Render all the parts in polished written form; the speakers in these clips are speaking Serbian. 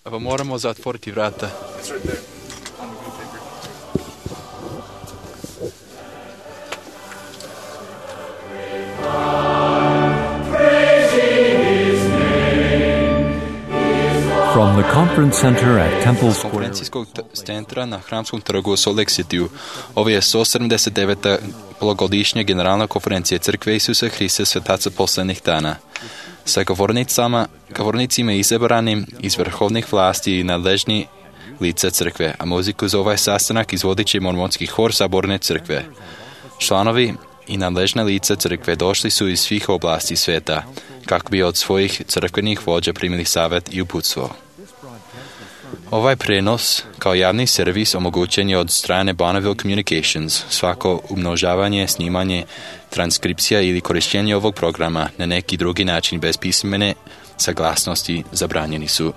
Pa moramo zatvoriti vrata. From the conference center at Temple Square. Konferencijskog centra na Hramskom trgu u Salt Lake Cityu. Ovo je 179. polugodišnja generalna konferencija Crkve Isusa Hrista Svetaca poslednjih dana. Sa govornicima izabranim iz vrhovnih vlasti i nadležni lica crkve, a muziku za ovaj sastanak izvodit će mormonski hor Saborne crkve. Članovi i nadležna lica crkve došli su iz svih oblasti sveta, kako bi od svojih crkvenih vođa primili savjet i uputstvo. Ovaj prenos, kao javni servis, omogućen je od strane Bonneville Communications. Svako umnožavanje, snimanje, transkripcija ili korištenje ovog programa na neki drugi način bez pismene saglasnosti zabranjeni su.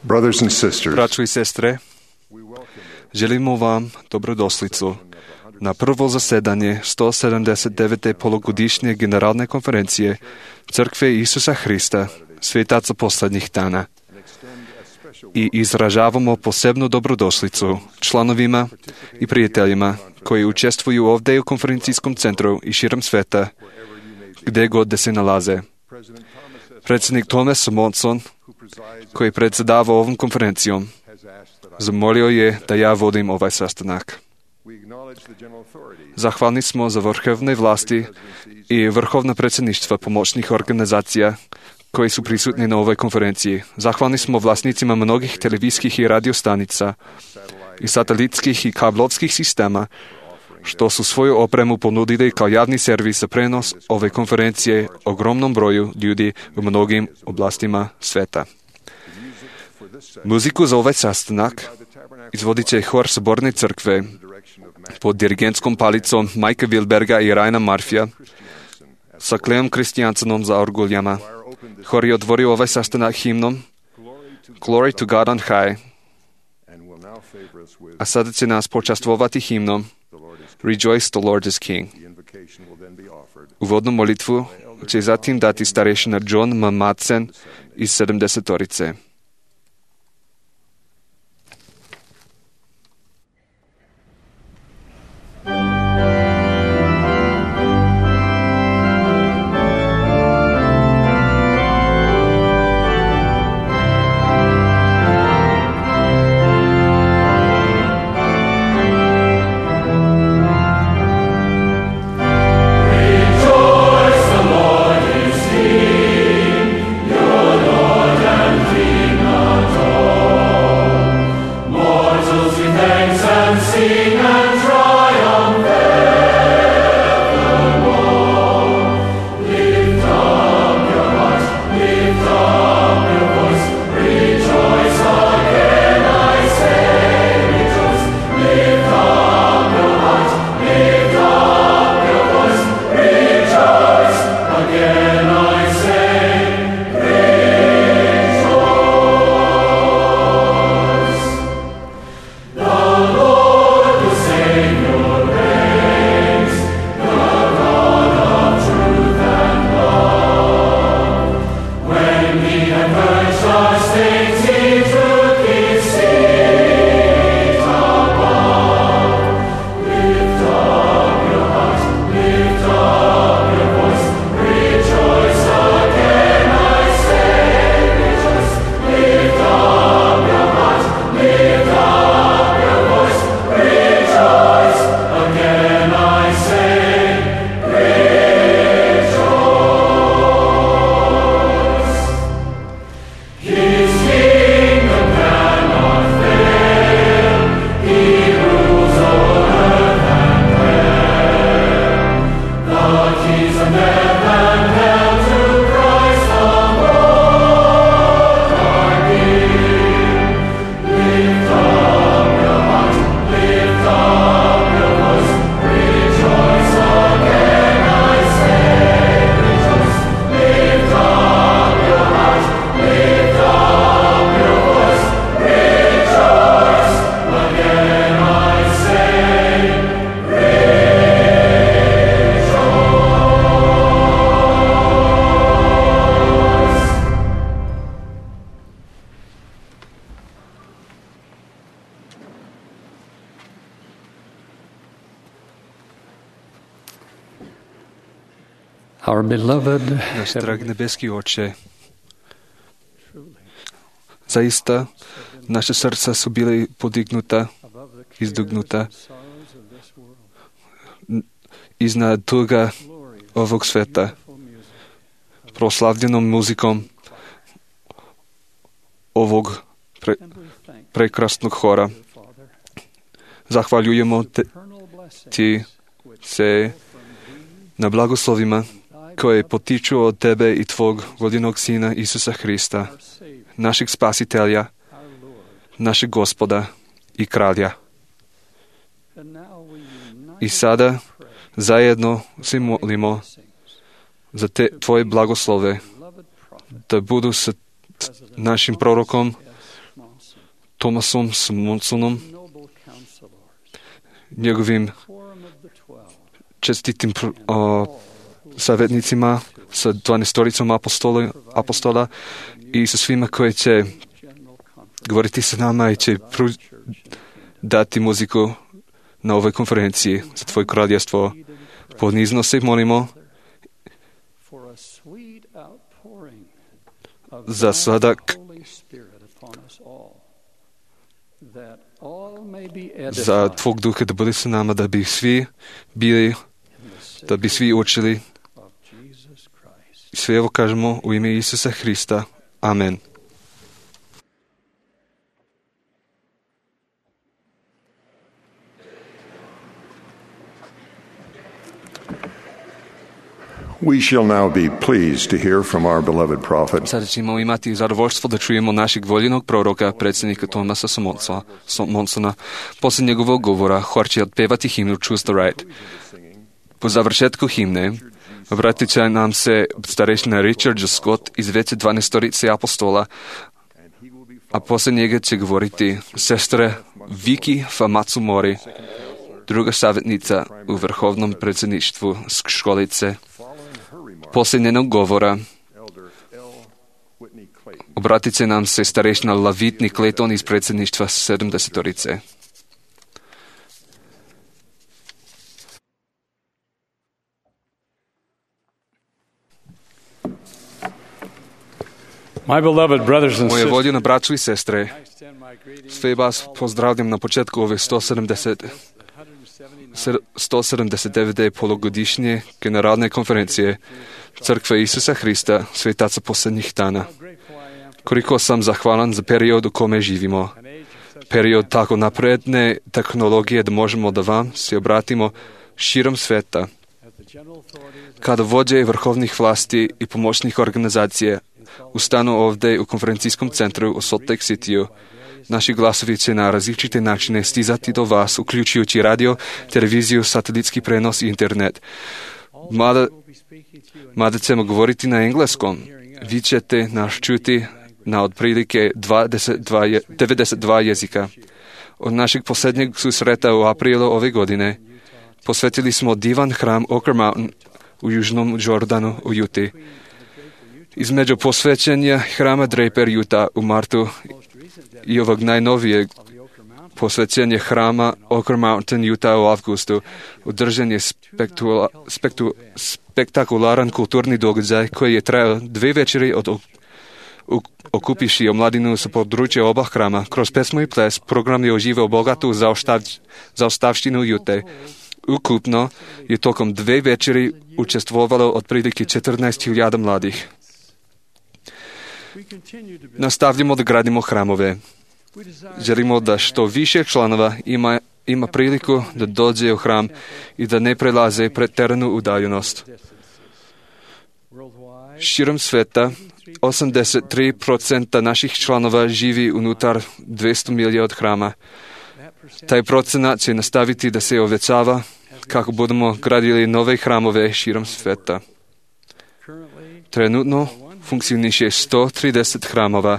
Brothers and sisters, Braćo i sestre, želimo vam dobrodošlicu na prvo zasedanje 179. polugodišnje generalne konferencije Crkve Isusa Hrista, Svetaca poslednjih dana. I izražavamo posebnu dobrodošlicu članovima i prijateljima koji učestvuju ovdje u konferencijskom centru i širom sveta, gdje god da se nalaze. Predsjednik Thomas Monson, koji predsjedava ovom konferencijom, zamolio je da ja vodim ovaj sastanak. Zahvalni smo za vrhovne vlasti i vrhovna predsjedništva pomoćnih organizacija koji su prisutni na ovoj konferenciji. Zahvalni smo vlasnicima mnogih televizijskih i radiostanica i satelitskih i kablovskih sistema, što su svoju opremu ponudili kao javni servis za prenos ove konferencije ogromnom broju ljudi u mnogim oblastima sveta. Muziku za ovaj sastanak izvodit će hor Saborne crkve pod dirigentskom palicom Majka Wilberga i Ryana Murphya sa Cleom Christiansenom za orguljama. Hor je otvorio ovaj sastanak himnom Glory to God on high, a sada će nas počastvovati himnom Rejoice, the Lord is King. Uvodnu molitvu će zatim dati starešina John M. Madsen iz 70-torice. Your Lord and King. Our beloved Náš drahý nebeský Otče, zaista naše srdca sú byli podignuté, izdugnuté iznad tuga ovog sveta, proslavljenom muzikom ovog prekrasnog hora. Zahvaljujemo ti se na blagoslovima koje potiču od tebe i tvog vodinog Sina Isusa Hrista, našeg spasitelja, našeg Gospoda i Kralja. I sada zajedno se molimo za tvoje blagoslove, da budu sa našim prorokom Tomasom Monsonom, njegovim čestitim savjetnicima, sa 12-toricom apostola i sa svima koji će govoriti sa nama i će dati muziku na ovoj konferenciji za tvoje kraljevstvo. Ponizno se molimo za sladak, za tvog duha da bude sa nama, da bi svi učili. Sve ovo kažemo u ime Isusa Hrista. Amen. We shall now be pleased to hear from our beloved prophet. Sada ćemo imati zadovoljstvo da čujemo našeg voljenog proroka, predsjednika Tomasa Monsona. Poslije njegovog govora hor će otpevati himnu Choose the Right. Po završetku himne obratit će nam se starešina Richard J. Scott iz veće 12-torice apostola, a poslije njega će govoriti sestre Viki Famatsumori, druga savjetnica u vrhovnom predsjedništvu školice. Poslije njenog govora obratit će nam se starešina Lavitni Clayton iz predsjedništva 70-torice. Moje voljene braćo i sestre, sve vas pozdravljam na početku ove 179. polugodišnje generalne konferencije Crkve Isusa Hrista, svetaca posljednjih dana. Koliko sam zahvalan za period u kome živimo. Period tako napredne tehnologije da možemo da vam se obratimo širom sveta. Kada vođe vrhovnih vlasti i pomoćnih organizacija ustanu ovdje u konferencijskom centru u Salt Lake City-u, naši glasovi će na različite načine stizati do vas, uključujući radio, televiziju, satelitski prenos i internet. Mada ćemo govoriti na engleskom, vi ćete nas čuti na otprilike 92 jezika. Od našeg posljednjeg susreta u aprilu ove godine posvetili smo divan hram Ocker Mountain u južnom Jordanu u Juti. Između posvećenja hrama Draper Utah u martu i ovog najnovijeg posvećenja hrama Ocker Mountain Utah u avgustu održan je spektakularan kulturni događaj koji je trajao 2 večeri okupiši omladinu sa područja oba hrama. Kroz pesmu i ples program je uživao bogatu zaostavštinu Jute. Ukupno je tokom 2 večeri učestvovalo otprilike 14.000 mladih. Nastavljamo da gradimo hramove. Želimo da što više članova ima priliku da dođe u hram i da ne prelaze preteranu udaljenost. Širom sveta 83% naših članova živi unutar 200 milija od hrama. Taj procenat će nastaviti da se uvećava kako budemo gradili nove hramove širom sveta. Trenutno funkcioniše 130 hramova,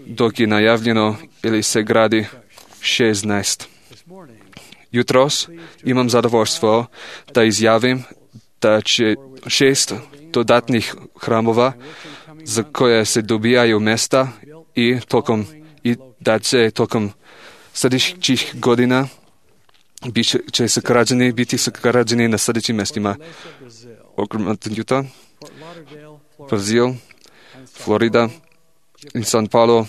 dok je najavljeno ili se gradi 16. Jutros imam zadovoljstvo da izjavim da će 6 dodatnih hramova za koje se dobijaju mesta i da će tokom sljedećih godina biti sagrađeni na sljedećim mjestima. okruг Utah, Brazil, Florida, San Paulo,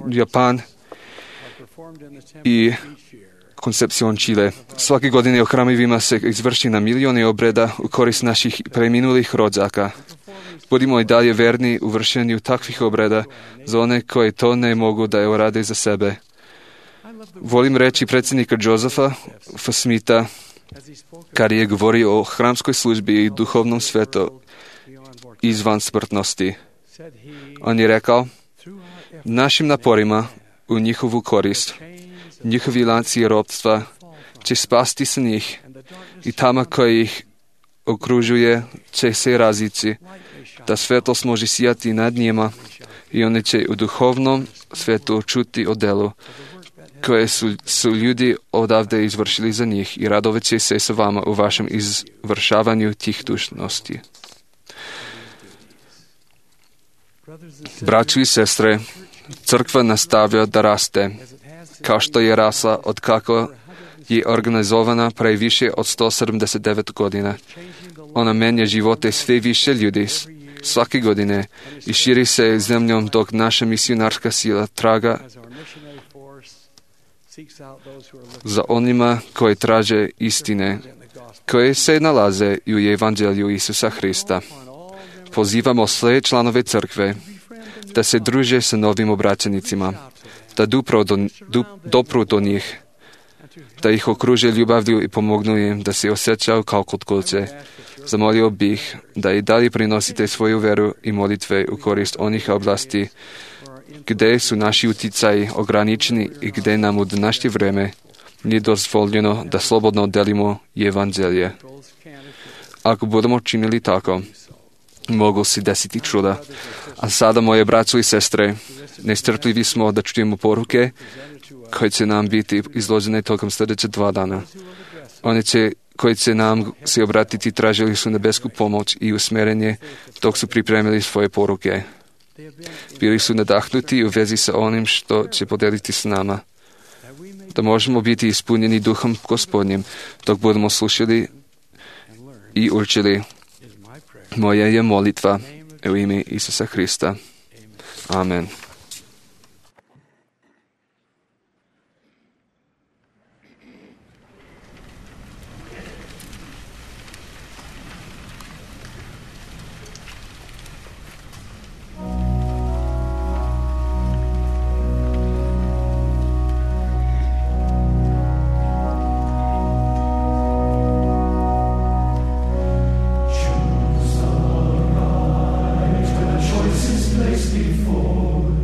Japan i Concepcion, Chile. Svake godine u hramovima se izvrši na milione obreda u korist naših preminulih rođaka. Budimo i dalje verni u vršenju takvih obreda za one koji to ne mogu da urade za sebe. Volim reći predsjednika Josefa F. Smitha, kad je govorio o hramskoj službi i duhovnom svetu izvan smrtnosti. On je rekao, našim naporima u njihovu korist, njihovi lanci ropstva će spasti sa njih i tama koji ih okružuje će se raziti, da svetlost može sijati nad njima i oni će u duhovnom svetu čuti o delu koje su ljudi odavde izvršili za njih i radovat će se sa vama u vašem izvršavanju tih dužnosti. Braćo i sestre, crkva nastavlja da raste, kao što je rasla od kako je organizovana pre više od 179 godina. Ona menja živote sve više ljudi svake godine i širi se zemljom dok naša misionarska sila traga za onima koji traže istine, koje se nalaze u Evanđelju Isusa Hrista. Pozivamo sve članove crkve da se druže sa novim obraćenicima, da dopru do njih, da ih okruže ljubavlju i pomognu im da se osjećaju kao kod kuće. Zamolio bih da i dalje prinosite svoju veru i molitve u korist onih oblasti gdje su naši utjecaji ograničeni i gdje nam u današnje vreme nije dozvoljeno da slobodno delimo Evanđelje. Ako budemo činili tako, mogu se desiti čuda. A sada, moje braćo i sestre, nestrpljivi smo da čujemo poruke koje će nam biti izložene tokom sljedeće 2 dana. Oni koji će nam se obratiti tražili su nebesku pomoć i usmjerenje dok su pripremili svoje poruke. Bili su nadahnuti u vezi sa onim što će podeliti s nama. Da možemo biti ispunjeni duhom Gospodnjim dok budemo slušali i učili. Moja je molitva u ime Isusa Hrista. Amen. Choices placed before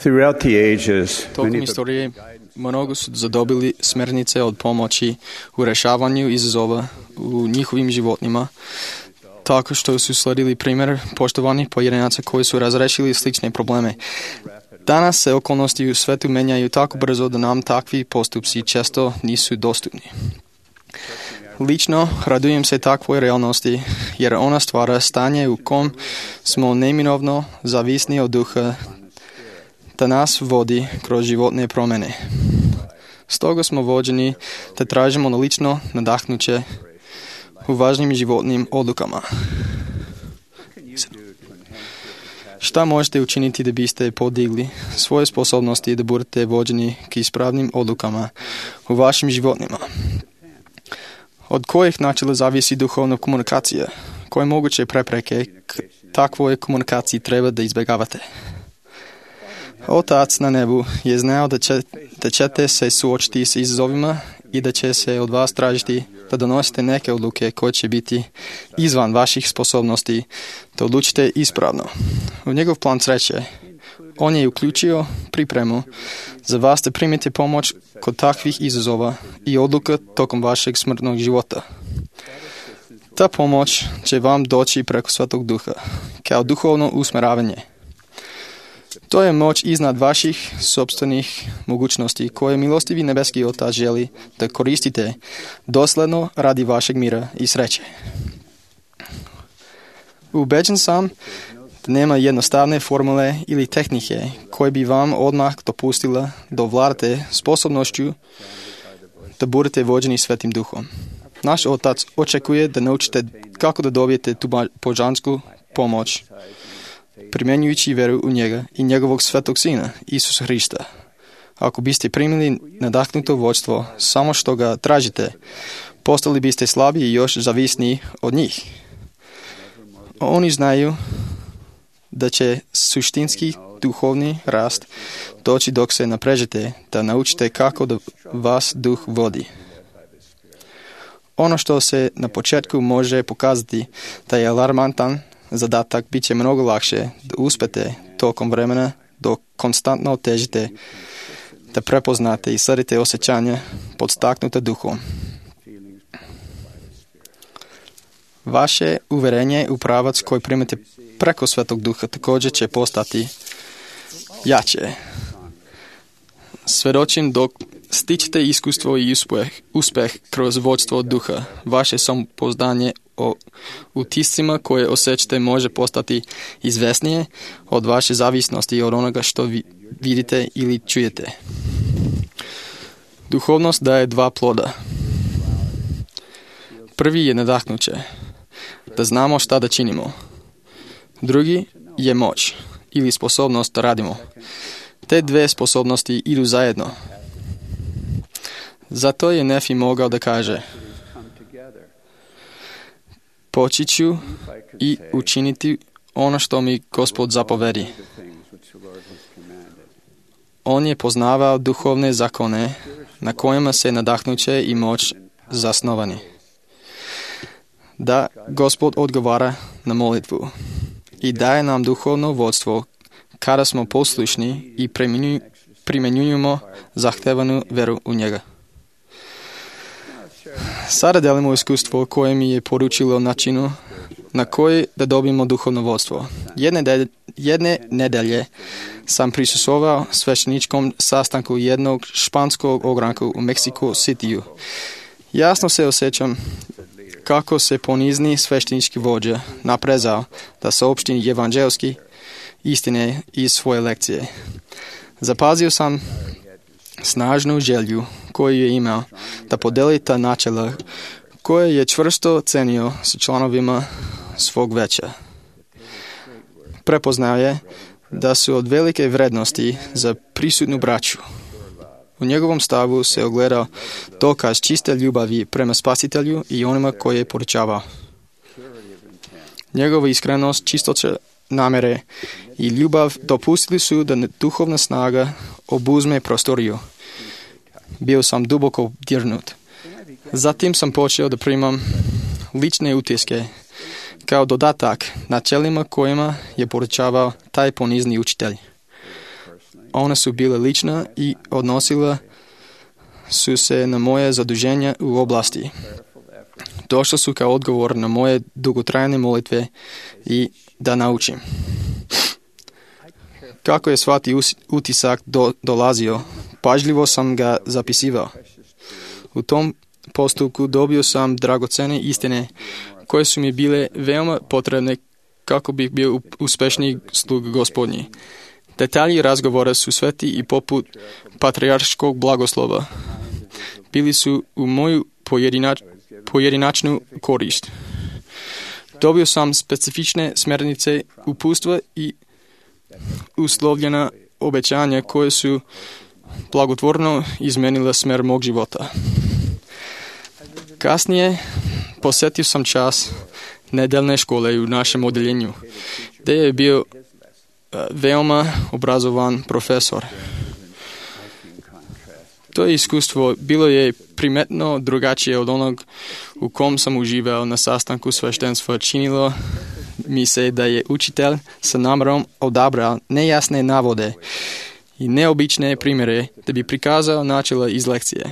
Throughout the ages, Tokom istorije mnogo su zadobili smernice od pomoći u rešavanju izazova u njihovim životima, tako što su sledili primjer poštovanih pojedinaca koji su razrešili slične probleme. Danas se okolnosti u svetu menjaju tako brzo da nam takvi postupci često nisu dostupni. Lično radujem se takvoj realnosti, jer ona stvara stanje u kom smo neminovno zavisni od duha da nas vodi kroz životne promjene. Stoga smo vođeni da tražimo lično nadahnuće u važnim životnim odlukama. Šta možete učiniti da biste podigli svoje sposobnosti da budete vođeni k ispravnim odlukama u vašim životima? Od kojih načela zavisi duhovna komunikacija? Koje moguće prepreke k takvoj komunikaciji treba da izbjegavate? Otac na nebu je znao da ćete se suočiti s izazovima i da će se od vas tražiti da donosite neke odluke koje će biti izvan vaših sposobnosti da odlučite ispravno. U njegov plan sreće on je uključio pripremu za vas da primite pomoć kod takvih izazova i odluka tokom vašeg smrtnog života. Ta pomoć će vam doći preko Svetog Duha, kao duhovno usmeravanje. To je moć iznad vaših sopstvenih mogućnosti koje milostivi nebeski Otac želi da koristite dosledno radi vašeg mira i sreće. Ubeđen sam da nema jednostavne formule ili tehnike koje bi vam odmah dopustila da ovladate sposobnošću da budete vođeni Svetim Duhom. Naš Otac očekuje da naučite kako da dobijete tu božansku pomoć, primjenjujući veru u njega i njegovog svetog Sina, Isusa Hrista. Ako biste primili nadahnuto vođstvo samo što ga tražite, postali biste slabi i još zavisni od njih. Oni znaju da će suštinski duhovni rast doći dok se naprežete da naučite kako da vas duh vodi. Ono što se na početku može pokazati da je alarmantan zadatak, bit će mnogo lakše da uspete tokom vremena dok konstantno težite da prepoznate i sledite osjećanja podstaknuta duhom. Vaše uverenje u pravac koji primate preko Svetog Duha također će postati jače. Svedočim dok stičete iskustvo i uspeh kroz vođstvo duha. Vaše samopouzdanje o utiscima koje osjećate može postati izvesnije od vaše zavisnosti od onoga što vidite ili čujete. Duhovnost daje dva ploda. Prvi je nadahnuće, da znamo šta da činimo. Drugi je moć ili sposobnost da radimo. Te dve sposobnosti idu zajedno. Zato je Nefi mogao da kaže: poći ću i učiniti ono što mi Gospod zapovedi. On je poznavao duhovne zakone na kojima se nadahnuće i moć zasnovani. Da Gospod odgovara na molitvu i daje nam duhovno vodstvo kada smo poslušni i primjenjujemo zahtevanu veru u njega. Sada delimo iskustvo koje mi je poručilo načinu na koji da dobijemo duhovno vodstvo. Jedne nedelje sam prisustvovao svešteničkom sastanku jednog španskog ogranka u Mexico Cityu. Jasno se osjećam kako se ponizni sveštenički vođa naprezao da saopšti evanđelski istine iz svoje lekcije. Zapazio sam snažnu želju koju je imao da podeli ta načela koje je čvrsto cenio sa članovima svog veća. Prepoznao je da su od velike vrednosti za prisutnu braću. U njegovom stavu se ogledao dokaz čiste ljubavi prema Spasitelju i onima koje je poručavao. Njegova iskrenost, čistoća namere i ljubav dopustili su da duhovna snaga obuzme prostoriju. Bio sam duboko dirnut. Zatim sam počeo da primam lične utiske kao dodatak načelima kojima je poručavao taj ponizni učitelj. Ona su bila lična i odnosila su se na moje zaduženja u oblasti. Došla su kao odgovor na moje dugotrajne molitve i da naučim. Kako je svaki utisak dolazio, pažljivo sam ga zapisivao. U tom postupku dobio sam dragocene istine koje su mi bile veoma potrebne kako bih bio uspešniji slug Gospodnji. Detalji razgovora su sveti i poput patrijarškog blagoslova. Bili su u moju pojedinačnu korist. Dobio sam specifične smernice, upustva i uslovljena obećanja koje su blagotvorno izmenila smer mog života. Kasnije posjetio sam čas nedeljne škole u našem odeljenju, gdje je bio veoma obrazovan profesor. To iskustvo bilo je primetno drugačije od onog u kom sam uživao na sastanku sveštenstva. Činilo mi se da je učitelj sa namerom odabrao nejasne navode i neobične primjere da bi prikazao načela iz lekcije.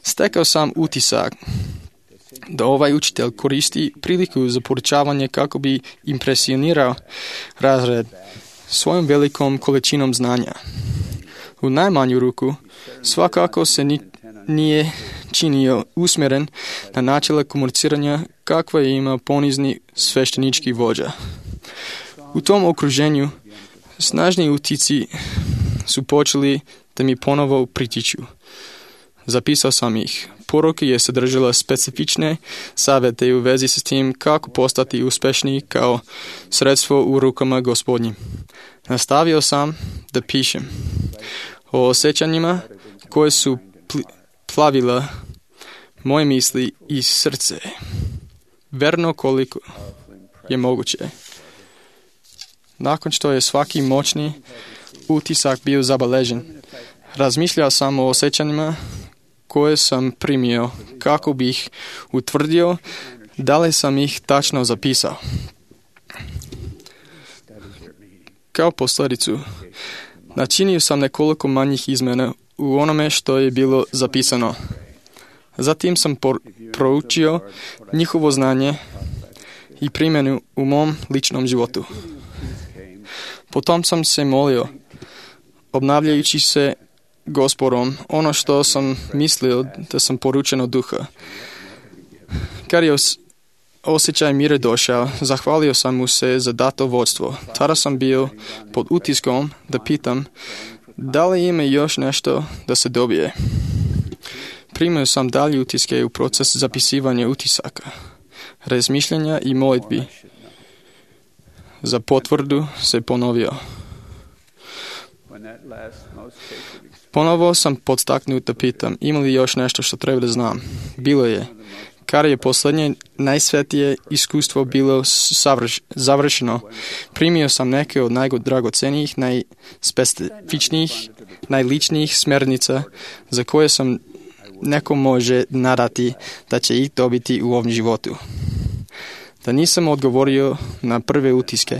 Stekao sam utisak da ovaj učitelj koristi priliku za poručavanje kako bi impresionirao razred svojom velikom količinom znanja. U najmanju ruku, svakako se nije činio usmjeren na načela komuniciranja kakva je imao ponizni sveštenički vođa. U tom okruženju snažni utici su počeli da mi ponovo pritiču. Zapisao sam ih. Poruka je sadržala specifične savjete u vezi s tim kako postati uspešni kao sredstvo u rukama Gospodnjim. Nastavio sam da pišem o osjećanjima koje su plavila moje misli i srce, verno koliko je moguće. Nakon što je svaki moćni utisak bio zabeležen, razmišljao sam o osjećanjima koje sam primio kako bih utvrdio da li sam ih tačno zapisao. Kao posljedicu, načinio sam nekoliko manjih izmjena u onome što je bilo zapisano. Zatim sam proučio njihovo znanje i primjenu u mom ličnom životu. Potom sam se molio, obnavljajući se Gospodom, ono što sam mislio da sam poručen od duha. Kad je osjećaj mira došao, zahvalio sam mu se za dato vodstvo. Tada sam bio pod utiskom da pitam da li ima još nešto da se dobije. Primio sam dalje utiske u proces zapisivanja utisaka, razmišljanja i molitbi. Za potvrdu se ponovio. Ponovo sam podstaknut da pitam, ima li još nešto što treba da znam? Bilo je. Kada je posljednje najsvetije iskustvo bilo završeno, primio sam neke od najdragocenijih, najspecifičnijih, najličnijih smernica za koje sam neko može nadati da će ih dobiti u ovom životu. Da nisam odgovorio na prve utiske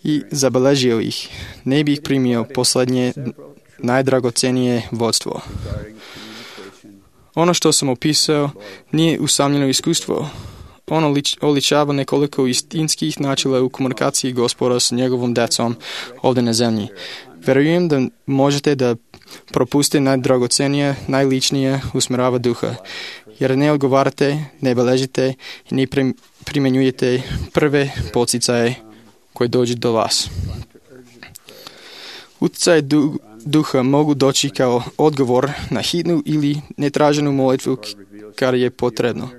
i zabeležio ih, ne bih primio posljednje najdragocenije vodstvo. Ono što sam opisao nije usamljeno iskustvo. Ono oličava nekoliko istinskih načela u komunikaciji Gospoda s njegovom decom ovdje na zemlji. Verujem da možete da propustite najdragocenije, najličnije usmjerava duha, jer ne odgovarate, ne beležite i ne primjenjujete prve poticaje koje dođu do vas. Utjecaj duha mogu doći kao odgovor na hitnu ili netraženu molitvu kad je potrebno.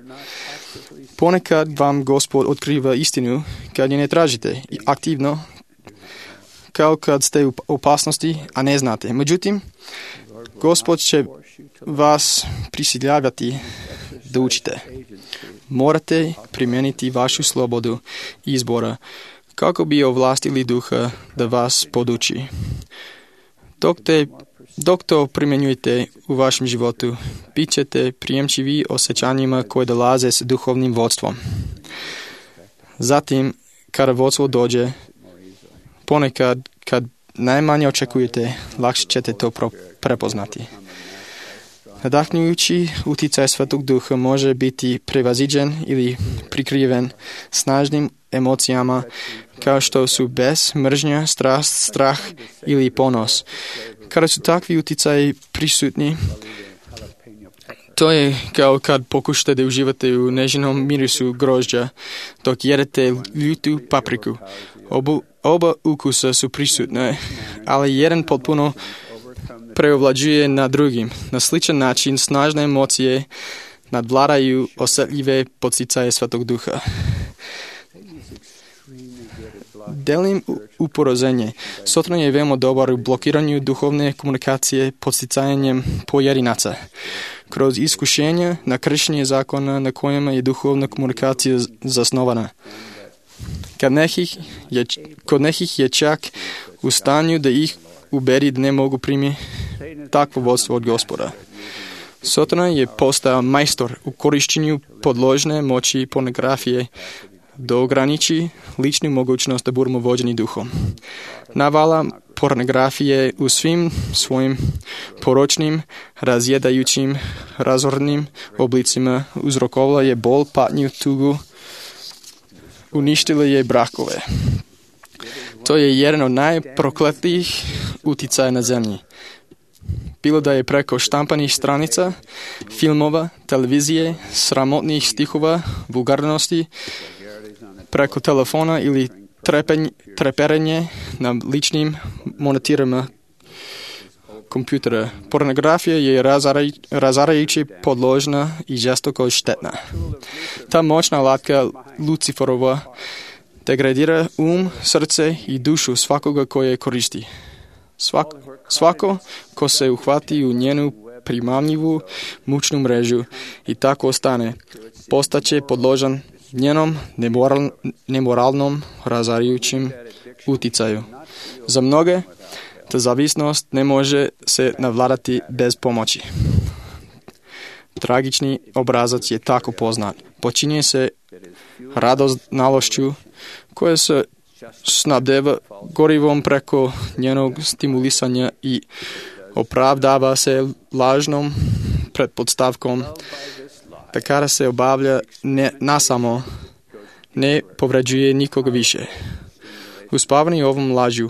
Ponekad vam Gospod otkriva istinu kad je ne tražite i aktivno, kao kad ste u opasnosti, a ne znate. Međutim, Gospod će vas prisiljavati da učite. Morate primijeniti vašu slobodu izbora kako bi ovlastili duha da vas poduči. Dok to primjenjujete u vašem životu, bit ćete prijemčivi osjećanjima koje dolaze s duhovnim vodstvom. Zatim, kada vodstvo dođe, ponekad kad najmanje očekujete, lakše ćete to prepoznati. Nadahnjujući utjecaj Svetog Duha može biti prevaziđen ili prikriven snažnim emocijama kao što su bes, mržnja, strast, strah ili ponos. Kada su takvi utjecaji prisutni, to je kao kad pokušate da uživate u nežnom mirisu grožđa dok jedete ljutu papriku. Oba ukusa su prisutne, ali jedan potpuno preovlađuje na drugim. Na sličan način snažne emocije nadvladaju osjetljive podsticaje Svetog Duha. Delim uporozenje. Sotran je veoma dobar u blokiranju duhovne komunikacije podsticajanjem pojedinaca. Kroz iskušenja na kršenje zakona na kojima je duhovna komunikacija zasnovana. Kod nekih je čak u stanju da ih ubedi da ne mogu primiti takvo vodstvo od Gospoda. Sotran je postao majstor u korišćenju podložne moći pornografije da ograniči ličnu mogućnost da budemo vođeni duhom. Navala pornografije u svim svojim poročnim, razjedajućim, razornim oblicima uzrokovala je bol, patnju, tugu, uništila je brakove. To je jedan od najprokletijih utjecaja na zemlji. Bilo da je preko štampanih stranica, filmova, televizije, sramotnih stihova, vulgarnosti, preko telefona ili treperenje na ličnim monitorima kompjutera. Pornografija je razarajuće podložna i žestoko štetna. Ta moćna alatka Luciferova degradira srce i dušu svakoga koje je koristi. Svako ko se uhvati u njenu primamljivu mučnu mrežu i tako ostane, postaće podložan njenom nemoralnom razarajućim utjecaju. Za mnoge, ta zavisnost ne može se navladati bez pomoći. Tragični obrazac je tako poznat. Počinje se radoznalošću koja se snabdeva gorivom preko njenog stimulisanja i opravdava se lažnom pretpostavkom da kada se obavlja nasamo ne povređuje nikoga više. Uspavani ovom lažu,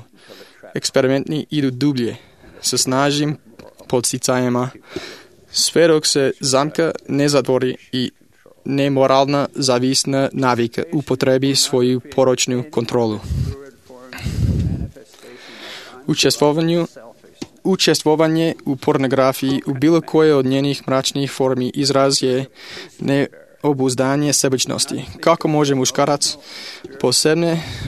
eksperimentni idu dublje sa snažnim podsticajima, sve dok se zamka ne zatvori i nemoralna zavisna navika upotrebi svoju poročnu kontrolu. Učestvovanje u pornografiji u bilo koje od njenih mračnih formi izraz je neobuzdanje sebičnosti. Kako može muškarac,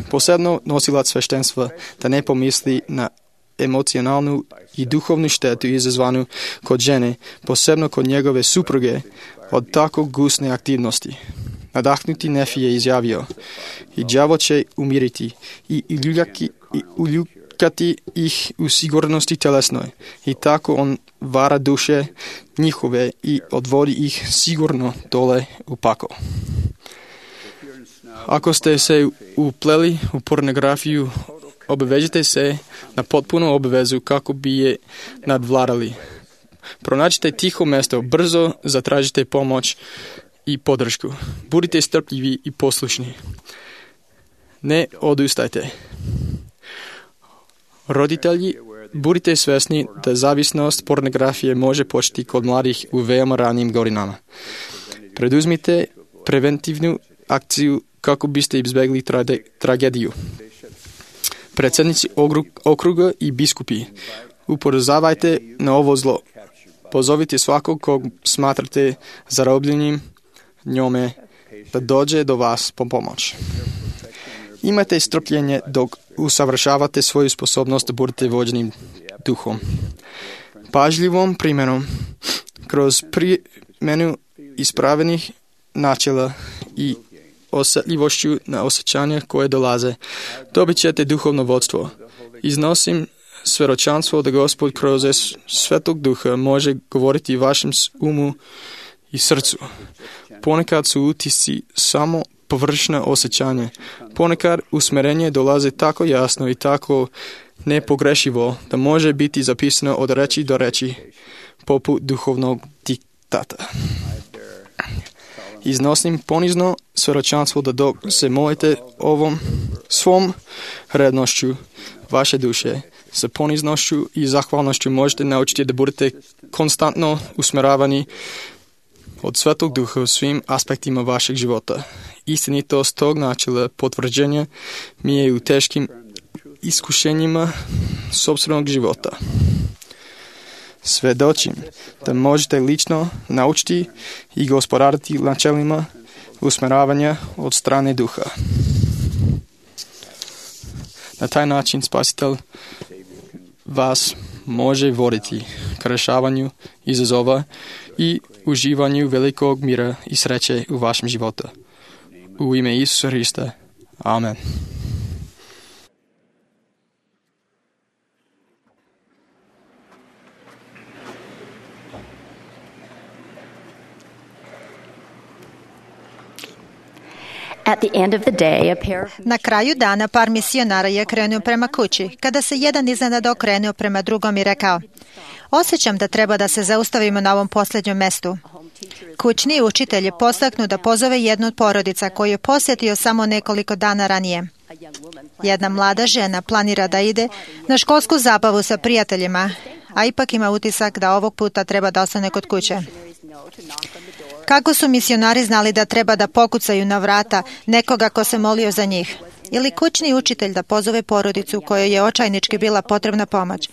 posebno nosilac sveštenstva, da ne pomisli na emocionalnu i duhovnu štetu izazvanu kod žene, posebno kod njegove supruge, od tako gusne aktivnosti. Nadahnuti Nefi je izjavio: i đavo će umiriti i uljukati ih u sigurnosti telesnoj. I tako on vara duše njihove i odvodi ih sigurno dole u pakao. Ako ste se upleli u pornografiju, obavežite se na potpunu obavezu kako bi je nadvladali. Pronađite tiho mjesto, brzo zatražite pomoć i podršku. Budite strpljivi i poslušni. Ne odustajte. Roditelji, budite svjesni da zavisnost pornografije može početi kod mladih u veoma ranim godinama. Preduzmite preventivnu akciju kako biste izbjegli tragediju. Predsjednici okruga i biskupi, upozoravajte na ovo zlo. Pozovite svakog kog smatrate zarobljenim njome da dođe do vas po pomoć. Imajte strpljenje dok usavršavate svoju sposobnost da budete vođeni duhom. Pažljivom primjenom, kroz primjenu ispravenih načela i osjetljivošću na osjećanja koje dolaze, dobit ćete duhovno vodstvo. Iznosim svjedočanstvo da Gospod kroz Svetog Duha može govoriti vašem umu i srcu. Ponekad su utisci samo površna osjećanja. Ponekad usmjerenje dolaze tako jasno i tako nepogrešivo, da može biti zapisano od reči do reči, poput duhovnog diktata. Iznosim ponizno svjedočanstvo da dok se molite ovom svom rednošću vaše duše, sa poniznošću i zahvalnošću možete naučiti da budete konstantno usmjeravani od Svetog Duha u svim aspektima vašeg života. Istinitost tog načela potvrđenja mi je u teškim iskušenjima sopstvenog života. Svedočim da možete lično naučiti i gospodariti načelima usmjeravanja od strane Duha. Na taj način Spasitelj vas može voditi k rješavanju izazova i uživanju velikog mira i sreće u vašem životu. U ime Isusa Hrista. Amen. Na kraju dana par misionara je krenuo prema kući, kada se jedan iznenada okrenuo prema drugom i rekao: osjećam da treba da se zaustavimo na ovom posljednjem mestu. Kućni učitelj je postaknuo da pozove jednu od porodica koju je posjetio samo nekoliko dana ranije. Jedna mlada žena planira da ide na školsku zabavu sa prijateljima, a ipak ima utisak da ovog puta treba da ostane kod kuće. Kako su misionari znali da treba da pokucaju na vrata nekoga ko se molio za njih? Ili kućni učitelj da pozove porodicu kojoj je očajnički bila potrebna pomoć?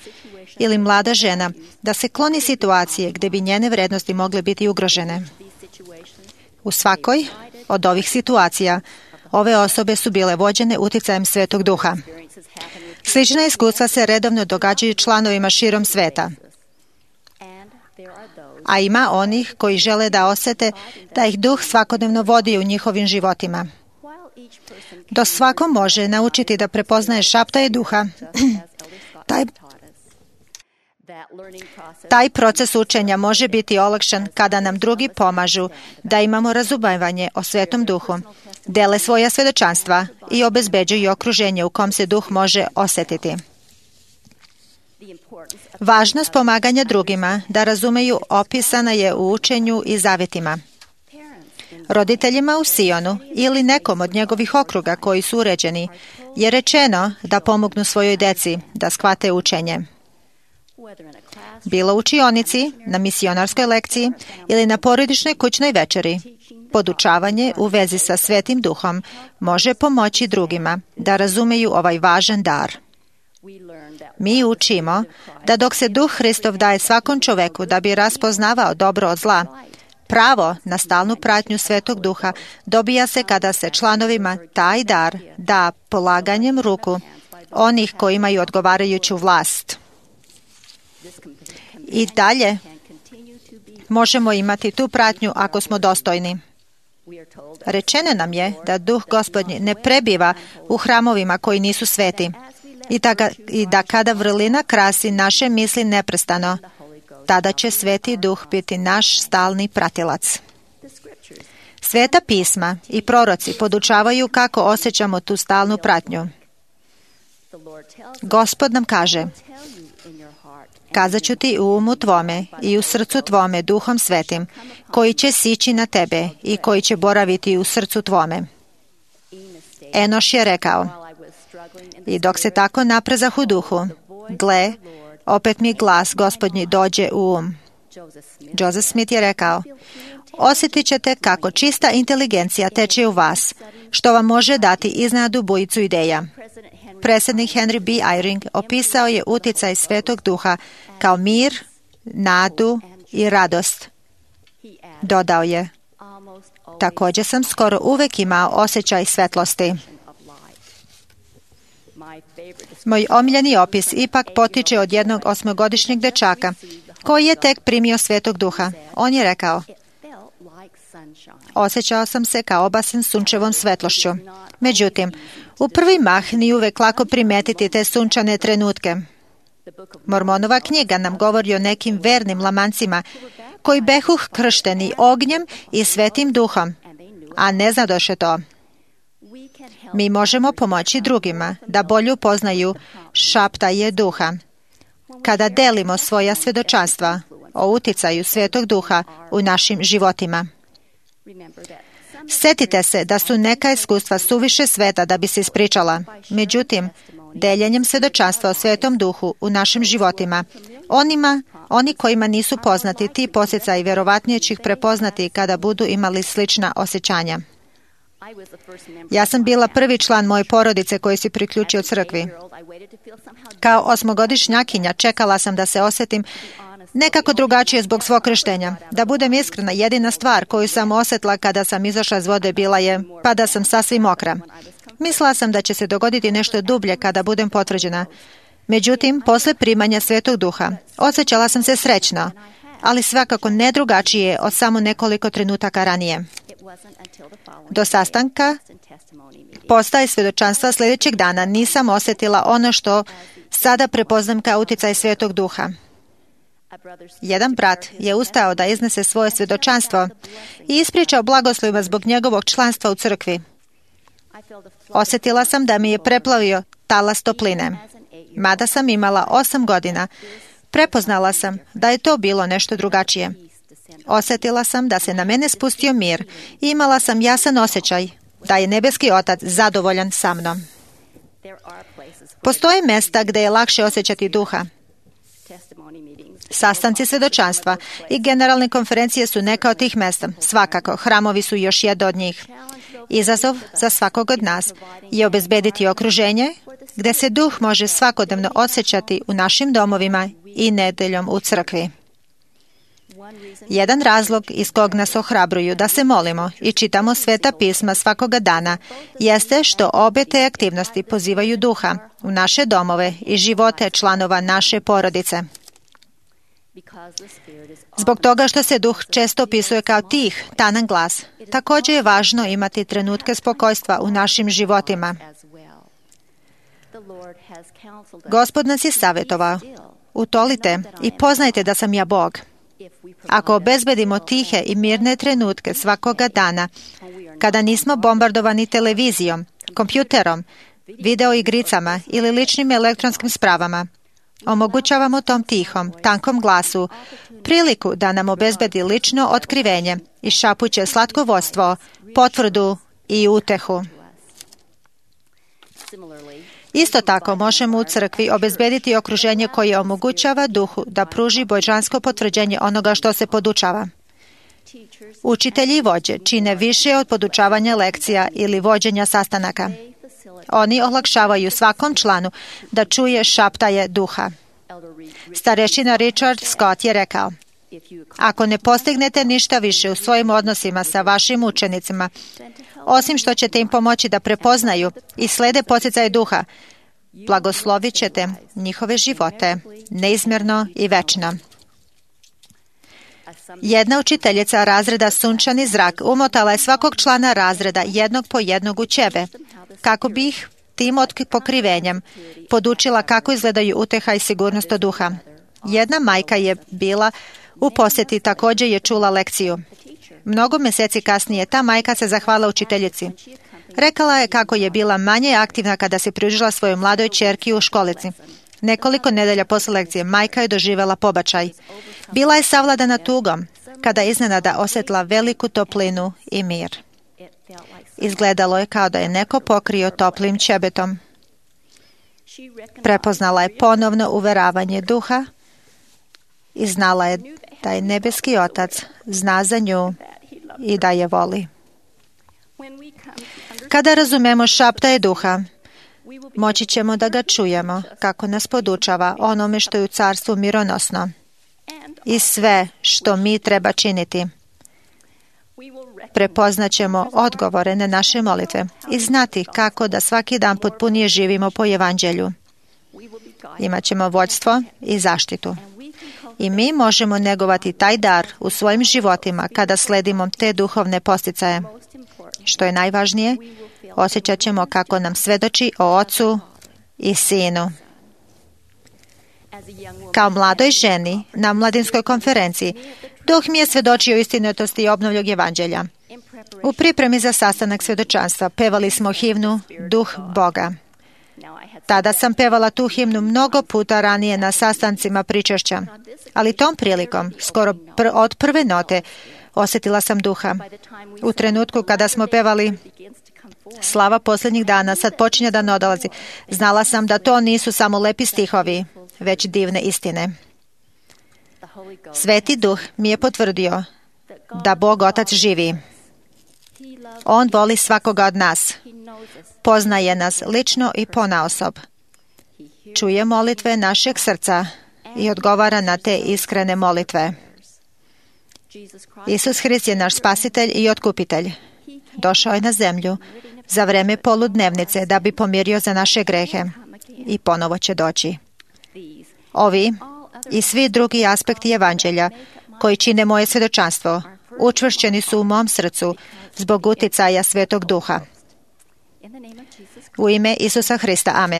Ili mlada žena da se kloni situacije gdje bi njene vrednosti mogle biti ugrožene? U svakoj od ovih situacija ove osobe su bile vođene uticajem Svetog Duha. Slična iskustva se redovno događaju članovima širom sveta. A ima onih koji žele da osjete da ih Duh svakodnevno vodi u njihovim životima. Do svako može naučiti da prepoznaje šaptaje Duha. Taj proces učenja može biti olakšan kada nam drugi pomažu da imamo razumevanje o Svetom Duhu, dele svoja svjedočanstva i obezbeđuju okruženje u kom se Duh može osjetiti. Važnost pomaganja drugima da razumeju opisana je u učenju i zavetima. Roditeljima u Sionu ili nekom od njegovih okruga koji su uređeni je rečeno da pomognu svojoj deci da shvate učenje. Bilo u učionici, na misionarskoj lekciji ili na porodičnoj kućnoj večeri, podučavanje u vezi sa Svetim Duhom može pomoći drugima da razumeju ovaj važan dar. Mi učimo da dok se Duh Hristov daje svakom čoveku da bi raspoznavao dobro od zla, pravo na stalnu pratnju Svetog Duha dobija se kada se članovima taj dar da polaganjem ruku onih koji imaju odgovarajuću vlast. I dalje možemo imati tu pratnju ako smo dostojni. Rečeno nam je da Duh Gospodnji ne prebiva u hramovima koji nisu sveti i da kada vrlina krasi naše misli neprestano, tada će Sveti Duh biti naš stalni pratilac. Sveta pisma i proroci podučavaju kako osjećamo tu stalnu pratnju. Gospod nam kaže: kazat ću ti u umu tvome i u srcu tvome Duhom Svetim, koji će sići na tebe i koji će boraviti u srcu tvome. Enoš je rekao: i dok se tako naprezah u duhu, gle, opet mi glas Gospodnji dođe u um. Joseph Smith je rekao: osjetit ćete kako čista inteligencija teče u vas, što vam može dati iznenadnu bujicu ideja. Predsjednik Henry B. Eyring opisao je uticaj Svetog Duha kao mir, nadu i radost. Dodao je: također sam skoro uvek imao osjećaj svetlosti. Moj omiljeni opis ipak potiče od jednog 8-godišnjeg dečaka koji je tek primio Svetog Duha. On je rekao: osjećao sam se kao obasen sunčevom svetlošću. Međutim, u prvi mah nije uvek lako primetiti te sunčane trenutke. Mormonova knjiga nam govori o nekim vernim lamancima koji behuh kršteni ognjem i Svetim Duhom, a ne znadoše to. Mi možemo pomoći drugima da bolje upoznaju šaptaje duha. Kada delimo svoja svjedočanstva o uticaju Svetog Duha u našim životima. Sjetite se da su neka iskustva suviše sveta da bi se ispričala. Međutim, deljenjem svjedočanstva o Svetom Duhu u našim životima, oni kojima nisu poznati ti posjecaji vjerovatnije će ih prepoznati kada budu imali slična osjećanja. Ja sam bila prvi član moje porodice koji se priključio crkvi. Kao 8-godišnjakinja čekala sam da se osjetim nekako drugačije zbog svog krštenja. Da budem iskrena, jedina stvar koju sam osjetila kada sam izašla iz vode bila je pa da sam sasvim mokra. Mislila sam da će se dogoditi nešto dublje kada budem potvrđena. Međutim, posle primanja Svetog Duha, osjećala sam se srećno, ali svakako ne drugačije od samo nekoliko trenutaka ranije. Do sastanka postaje svjedočanstva sljedećeg dana nisam osjetila ono što sada prepoznam kao uticaj Svetog Duha. Jedan brat je ustao da iznese svoje svjedočanstvo i ispričao blagoslova zbog njegovog članstva u crkvi. Osjetila sam da mi je preplavio talas topline. Mada sam imala 8 godina, prepoznala sam da je to bilo nešto drugačije. Osjetila sam da se na mene spustio mir i imala sam jasan osjećaj da je nebeski Otac zadovoljan sa mnom. Postoje mjesta gdje je lakše osjećati duha. Sastanci svjedočanstva i generalne konferencije su neka od tih mjesta. Svakako, hramovi su još jedno od njih. Izazov za svakog od nas je obezbediti okruženje gdje se duh može svakodnevno osjećati u našim domovima i nedeljom u crkvi. Jedan razlog iz kog nas ohrabruju da se molimo i čitamo Sveta pisma svakoga dana jeste što obe te aktivnosti pozivaju duha u naše domove i živote članova naše porodice. Zbog toga što se duh često opisuje kao tih, tanan glas, također je važno imati trenutke spokojstva u našim životima. Gospod nas je savjetovao, utolite i poznajte da sam ja Bog. Ako obezbedimo tihe i mirne trenutke svakoga dana, kada nismo bombardovani televizijom, kompjuterom, videoigricama ili ličnim elektronskim spravama, omogućavamo tom tihom, tankom glasu priliku da nam obezbedi lično otkrivenje i šapuće slatkovodstvo, potvrdu i utehu. Isto tako možemo u crkvi obezbediti okruženje koje omogućava duhu da pruži božansko potvrđenje onoga što se podučava. Učitelji i vođe čine više od podučavanja lekcija ili vođenja sastanaka. Oni olakšavaju svakom članu da čuje šaptaje duha. Starešina Richard Scott je rekao, ako ne postignete ništa više u svojim odnosima sa vašim učenicima, osim što ćete im pomoći da prepoznaju i slede podsjecaje duha, blagoslovit ćete njihove živote neizmjerno i večno. Jedna učiteljica razreda Sunčani zrak umotala je svakog člana razreda jednog po jednog u ćebe, kako bi ih tim pokrivenjem podučila kako izgledaju uteha i sigurnost od duha. Jedna majka je bila u posjeti, također je čula lekciju. Mnogo mjeseci kasnije ta majka se zahvala učiteljici. Rekala je kako je bila manje aktivna kada se pridružila svojoj mladoj ćerki u školici. Nekoliko nedelja posle lekcije majka je doživjela pobačaj. Bila je savladana tugom kada je iznenada osjetila veliku toplinu i mir. Izgledalo je kao da je neko pokrio toplim ćebetom. Prepoznala je ponovno uveravanje duha i znala je da je nebeski Otac zna za nju i da je voli. Kada razumemo šaptaje duha, moći ćemo da ga čujemo kako nas podučava onome što je u carstvu mironosno i sve što mi treba činiti. Prepoznaćemo odgovore na naše molitve i znati kako da svaki dan potpunije živimo po evanđelju. Imaćemo vođstvo i zaštitu. I mi možemo negovati taj dar u svojim životima kada sledimo te duhovne posticaje. Što je najvažnije, osjećat ćemo kako nam svedoči o Ocu i Sinu. Kao mladoj ženi na mladinskoj konferenciji, duh mi je svedočio istinitosti i obnovljog evanđelja. U pripremi za sastanak svjedočanstva pevali smo himnu Duh Boga. Tada sam pevala tu himnu mnogo puta ranije na sastancima pričešća, ali tom prilikom, skoro od prve note, osjetila sam Duha. U trenutku kada smo pevali Slava posljednjih dana, sad počinje da nadolazi, znala sam da to nisu samo lepi stihovi, već divne istine. Sveti Duh mi je potvrdio da Bog Otac živi. On voli svakoga od nas. Poznaje nas lično i ponaosob. Čuje molitve našeg srca i odgovara na te iskrene molitve. Isus Hrist je naš spasitelj i otkupitelj. Došao je na zemlju za vreme poludnevnice da bi pomirio za naše grehe i ponovo će doći. Ovi i svi drugi aspekti evanđelja koji čine moje svjedočanstvo učvršćeni su u mom srcu zbog uticaja Svetog Duha. U ime Isusa Hrista. Amen.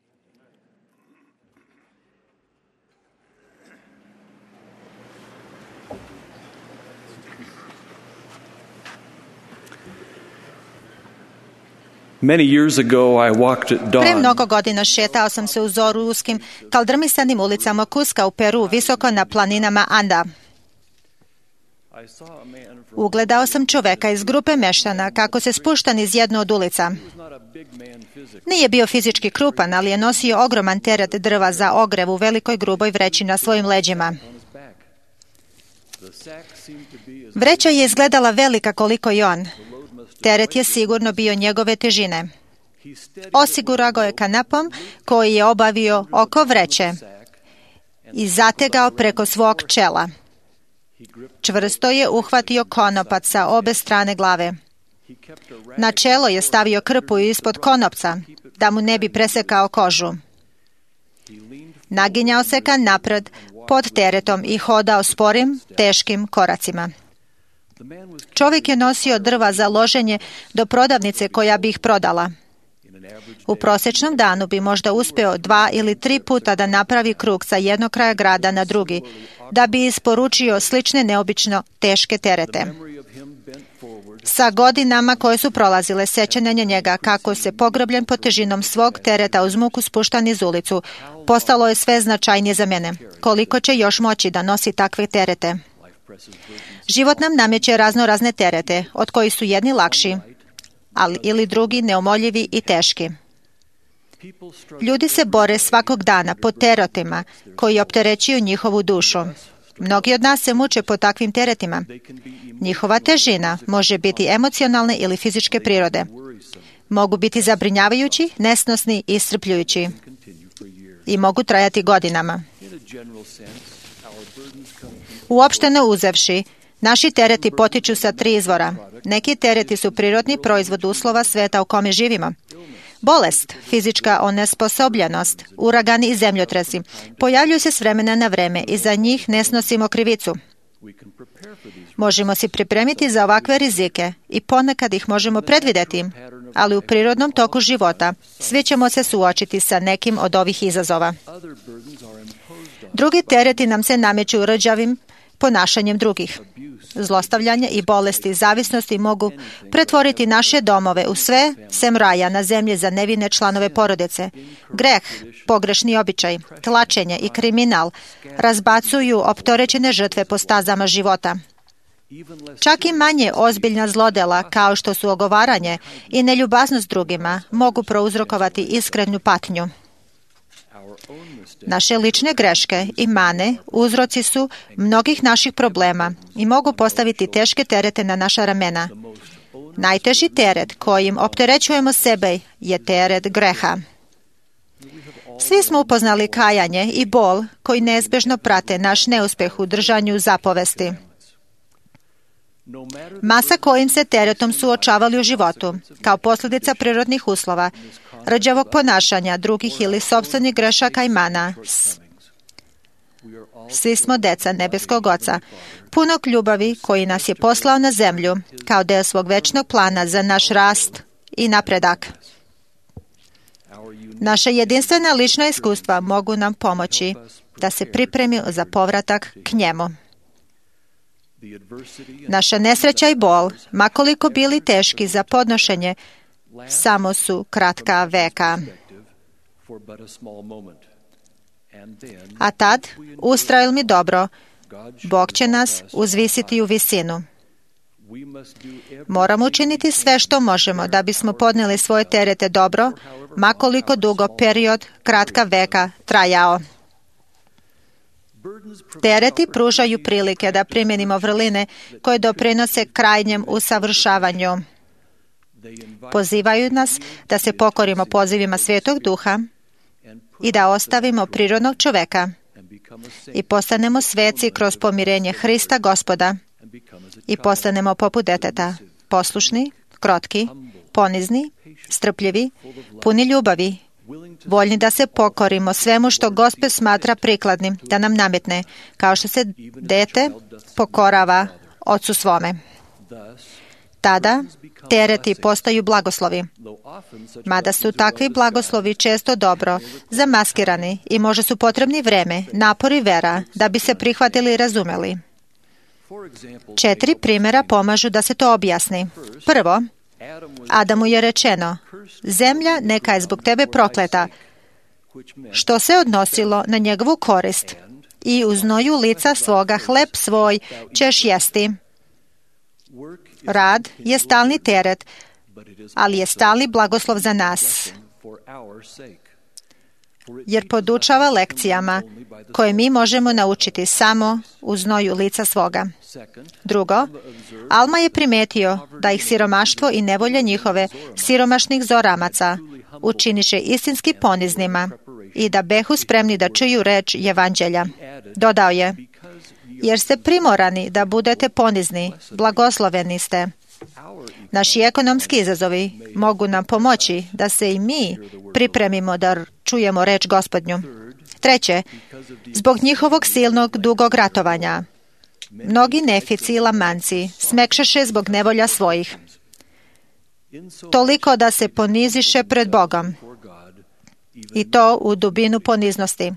Pre mnogo godina šetao sam se u zoru uskim, kaldrmisanim ulicama Kuska u Peru, visoko na planinama Anda. Ugledao sam čoveka iz grupe meštana kako se spušta niz jednu od ulica. Nije bio fizički krupan, ali je nosio ogroman teret drva za ogrev u velikoj gruboj vreći na svojim leđima. Vreća je izgledala velika koliko i on. Teret je sigurno bio njegove težine. Osigurao ga je kanapom koji je obavio oko vreće i zategao preko svog čela. Čvrsto je uhvatio konopac sa obe strane glave. Na čelo je stavio krpu ispod konopca, da mu ne bi presekao kožu. Naginjao se ka napred pod teretom i hodao sporim, teškim koracima. Čovjek je nosio drva za loženje do prodavnice koja bi ih prodala. U prosječnom danu bi možda uspio 2 ili 3 puta da napravi krug sa jednog kraja grada na drugi, da bi isporučio slične neobično teške terete. Sa godinama koje su prolazile, sećanje na njega kako se pogrobljen pod težinom svog tereta uz muku spuštan iz ulicu, postalo je sve značajnije za mene. Koliko će još moći da nosi takve terete? Život nam nameće razne terete, od kojih su jedni lakši, ali ili drugi neumoljivi i teški. Ljudi se bore svakog dana pod teretima koji opterećuju njihovu dušu. Mnogi od nas se muče pod takvim teretima. Njihova težina može biti emocionalne ili fizičke prirode. Mogu biti zabrinjavajući, nesnosni i iscrpljujući. I mogu trajati godinama. Uopšteno uzevši, naši tereti potiču sa 3 izvora. Neki tereti su prirodni proizvod uslova sveta u kome živimo. Bolest, fizička onesposobljenost, uragani i zemljotresi pojavljuju se s vremena na vreme i za njih ne snosimo krivicu. Možemo se pripremiti za ovakve rizike i ponekad ih možemo predvidjeti, ali u prirodnom toku života svi ćemo se suočiti sa nekim od ovih izazova. Drugi tereti nam se nameću rđavim ponašanjem drugih. Zlostavljanje i bolesti zavisnosti mogu pretvoriti naše domove u sve sem raja na zemlji za nevine članove porodice. Greh, pogrešni običaj, tlačenje i kriminal razbacuju opterećene žrtve po stazama života. Čak i manje ozbiljna zlodela kao što su ogovaranje i neljubaznost drugima mogu prouzrokovati iskrenu patnju. Naše lične greške i mane uzroci su mnogih naših problema i mogu postaviti teške terete na naša ramena. Najteži teret kojim opterećujemo sebe je teret greha. Svi smo upoznali kajanje i bol koji neizbježno prate naš neuspjeh u držanju zapovesti. Masa kojim se teretom suočavali u životu, kao posljedica prirodnih uslova, rđavog ponašanja drugih ili sopstvenih grešaka i mana. Svi smo deca nebeskog Oca, punog ljubavi koji nas je poslao na zemlju kao deo svog večnog plana za naš rast i napredak. Naše jedinstvena lična iskustva mogu nam pomoći da se pripremimo za povratak k njemu. Naša nesreća i bol, makoliko bili teški za podnošenje, samo su kratka veka. A tad, ustrajali mi dobro, Bog će nas uzvisiti u visinu. Moramo učiniti sve što možemo da bismo podnijeli svoje terete dobro, makoliko dugo period kratka veka trajao. Tereti pružaju prilike da primjenimo vrline koje doprinose krajnjem usavršavanju. Pozivaju nas da se pokorimo pozivima Svetog Duha i da ostavimo prirodnog čoveka i postanemo sveci kroz pomirenje Hrista Gospoda i postanemo poput deteta, poslušni, krotki, ponizni, strpljivi, puni ljubavi, voljni da se pokorimo svemu što Gospod smatra prikladnim da nam nametne, kao što se dete pokorava ocu svome. Tada tereti postaju blagoslovi, mada su takvi blagoslovi često dobro zamaskirani i možda su potrebni vreme, napor i vera da bi se prihvatili i razumeli. 4 primjera pomažu da se to objasni. Prvo, Adamu je rečeno, zemlja neka je zbog tebe prokleta, što se odnosilo na njegovu korist, i u znoju lica svoga hleb svoj ćeš jesti. Rad je stalni teret, ali je stalni blagoslov za nas, jer podučava lekcijama koje mi možemo naučiti samo u znoju lica svoga. Drugo, Alma je primetio da ih siromaštvo i nevolje njihove siromašnih zoramaca učiniše istinski poniznima i da behu spremni da čuju reč Evanđelja. Dodao je, jer ste primorani da budete ponizni, blagosloveni ste. Naši ekonomski izazovi mogu nam pomoći da se i mi pripremimo da čujemo reč Gospodnju. Treće, zbog njihovog silnog dugog ratovanja, mnogi nefici i lamanci smekšeše zbog nevolja svojih, toliko da se poniziše pred Bogom, i to u dubinu poniznosti.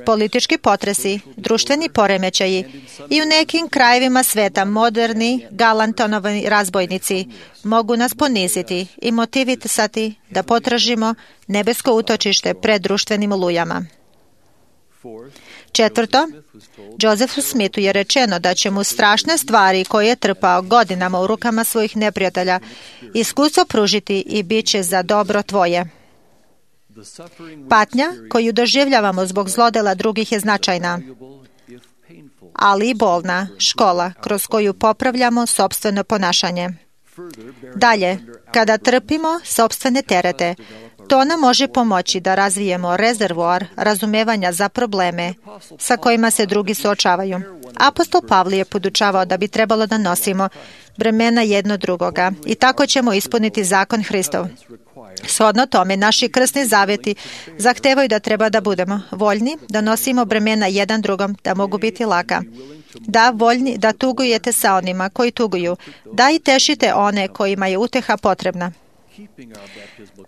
Politički potresi, društveni poremećaji i u nekim krajevima sveta moderni, galantonovi razbojnici mogu nas poniziti i motivisati da potražimo nebesko utočište pred društvenim olujama. Četvrto, Josephu Smithu je rečeno da će mu strašne stvari koje je trpao godinama u rukama svojih neprijatelja iskustvo pružiti i bit će za dobro tvoje. Patnja koju doživljavamo zbog zlodela drugih je značajna, ali i bolna škola kroz koju popravljamo sopstveno ponašanje. Dalje, kada trpimo sopstvene terete, to nam može pomoći da razvijemo rezervoar razumevanja za probleme sa kojima se drugi suočavaju. Apostol Pavle je podučavao da bi trebalo da nosimo bremena jedno drugoga i tako ćemo ispuniti zakon Hristov. Shodno tome, naši krstni zavjeti zahtevaju da treba da budemo voljni, da nosimo bremena jedan drugom, da mogu biti laka. Da, voljni da tugujete sa onima koji tuguju, da i tešite one kojima je uteha potrebna.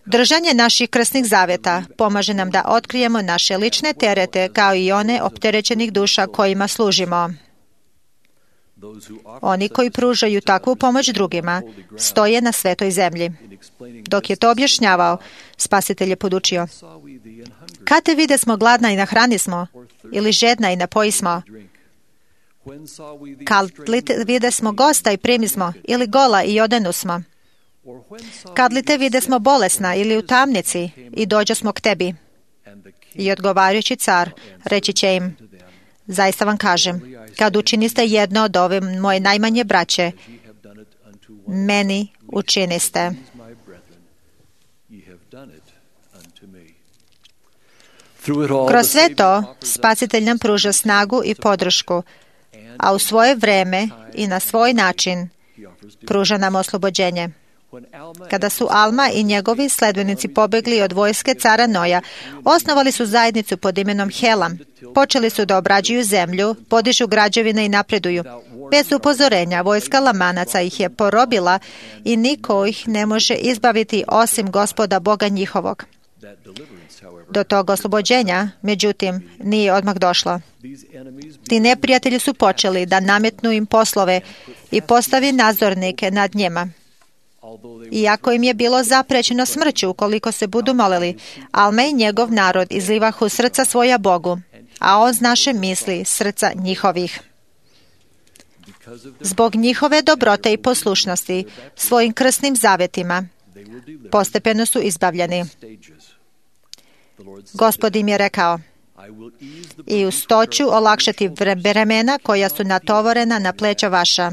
Držanje naših krstnih zavjeta pomaže nam da otkrijemo naše lične terete kao i one opterećenih duša kojima služimo. Oni koji pružaju takvu pomoć drugima stoje na svetoj zemlji. Dok je to objašnjavao, Spasitelj je podučio: kad te vide smo gladna i nahrani smo, ili žedna i napoji smo, kad li te vide smo gosta i primi smo, ili gola i odenu smo, kad li te vide smo bolesna ili u tamnici i dođo smo k tebi. I odgovarajući car reći će im: zaista vam kažem, kad učiniste jedno od ove moje najmanje braće, meni učiniste. Kroz sve to, Spasitelj nam pruža snagu i podršku, a u svoje vreme i na svoj način pruža nam oslobođenje. Kada su Alma i njegovi sledbenici pobegli od vojske cara Noja, osnovali su zajednicu pod imenom Helam. Počeli su da obrađuju zemlju, podižu građevine i napreduju. Bez upozorenja, vojska Lamanaca ih je porobila i niko ih ne može izbaviti osim Gospoda Boga njihovog. Do tog oslobođenja, međutim, nije odmah došlo. Ti neprijatelji su počeli da nametnu im poslove i postavi nadzornike nad njima. Iako im je bilo zaprećeno smrću ukoliko se budu molili, Alma i njegov narod izlivahu srca svoja Bogu, a on znaše misli srca njihovih. Zbog njihove dobrote i poslušnosti svojim krsnim zavetima postepeno su izbavljeni. Gospod im je rekao: i uz to ću olakšati bremena koja su natovorena na pleća vaša,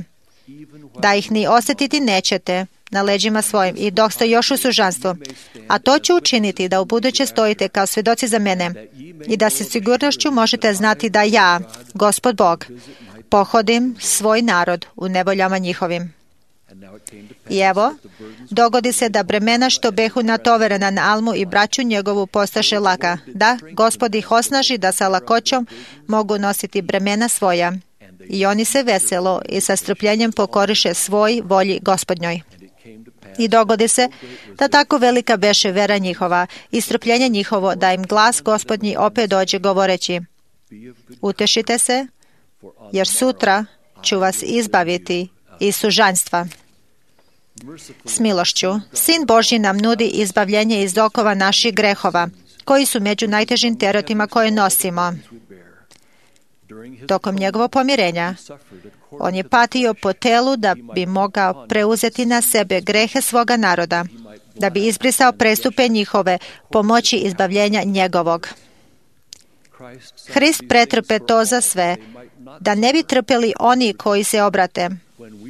da ih ni osjetiti nećete na leđima svojim i dok ste još u sužanstvu. A to ću učiniti da ubuduće stojite kao svjedoci za mene i da se sigurnošću možete znati da ja, Gospod Bog, pohodim svoj narod u nevoljama njihovim. I evo, dogodi se da bremena što behu natoverena na Almu i braću njegovu postaše laka, da Gospod ih osnaži da sa lakoćom mogu nositi bremena svoja. I oni se veselo i sa strpljenjem pokoriše svoj volji Gospodnjoj. I dogodi se da tako velika beše vera njihova i strpljenje njihovo da im glas Gospodnji opet dođe govoreći: utešite se, jer sutra ću vas izbaviti iz sužanjstva. S milošću, Sin Božji nam nudi izbavljenje iz okova naših grehova, koji su među najtežim teretima koje nosimo. Tokom njegovog pomirenja, on je patio po telu da bi mogao preuzeti na sebe grehe svoga naroda, da bi izbrisao prestupe njihove pomoći izbavljenja njegovog. Hrist pretrpe to za sve, da ne bi trpeli oni koji se obrate.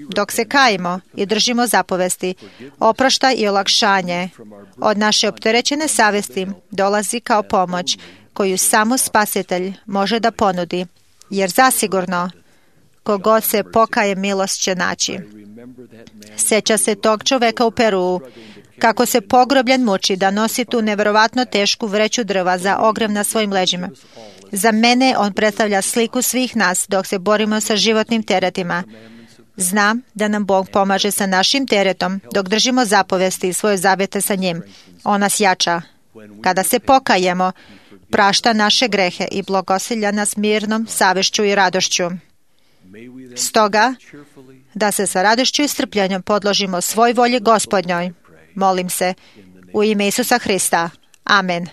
Dok se kajimo i držimo zapovesti, oproštaj i olakšanje od naše opterećene savesti dolazi kao pomoć koju samo Spasitelj može da ponudi, jer zasigurno kogod se pokaje milost će naći. Sjeća se tog čoveka u Peruu, kako se pogrobljen muči da nosi tu nevjerovatno tešku vreću drva za ogrev na svojim leđima. Za mene on predstavlja sliku svih nas dok se borimo sa životnim teretima. Znam da nam Bog pomaže sa našim teretom dok držimo zapovesti i svoje zavete sa njim. On nas jača. Kada se pokajemo, prašta naše grehe i blagosilja nas mirnom savješću i radošću. Stoga, da se sa radošću i strpljenjem podložimo svoj volji Gospodnjoj. Molim se, u ime Isusa Hrista. Amen.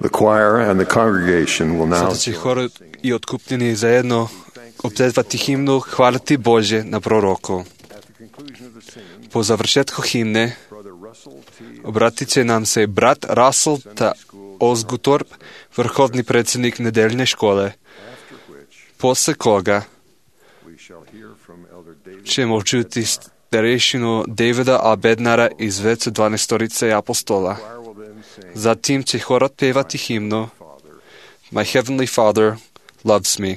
The choir and the congregation will now Sada će hor i otkupljeni zajedno opzezvati himnu Hvaliti Bože na proroku. Po završetku himne obratit će nam se brat Russell T. Osguthorpe, vrhovni predsjednik nedeljne škole, posle koga ćemo čuti starešinu Davida A. Bednara iz Vecu 12 apostola. Zatim će hor otpevati himnu My Heavenly Father loves me.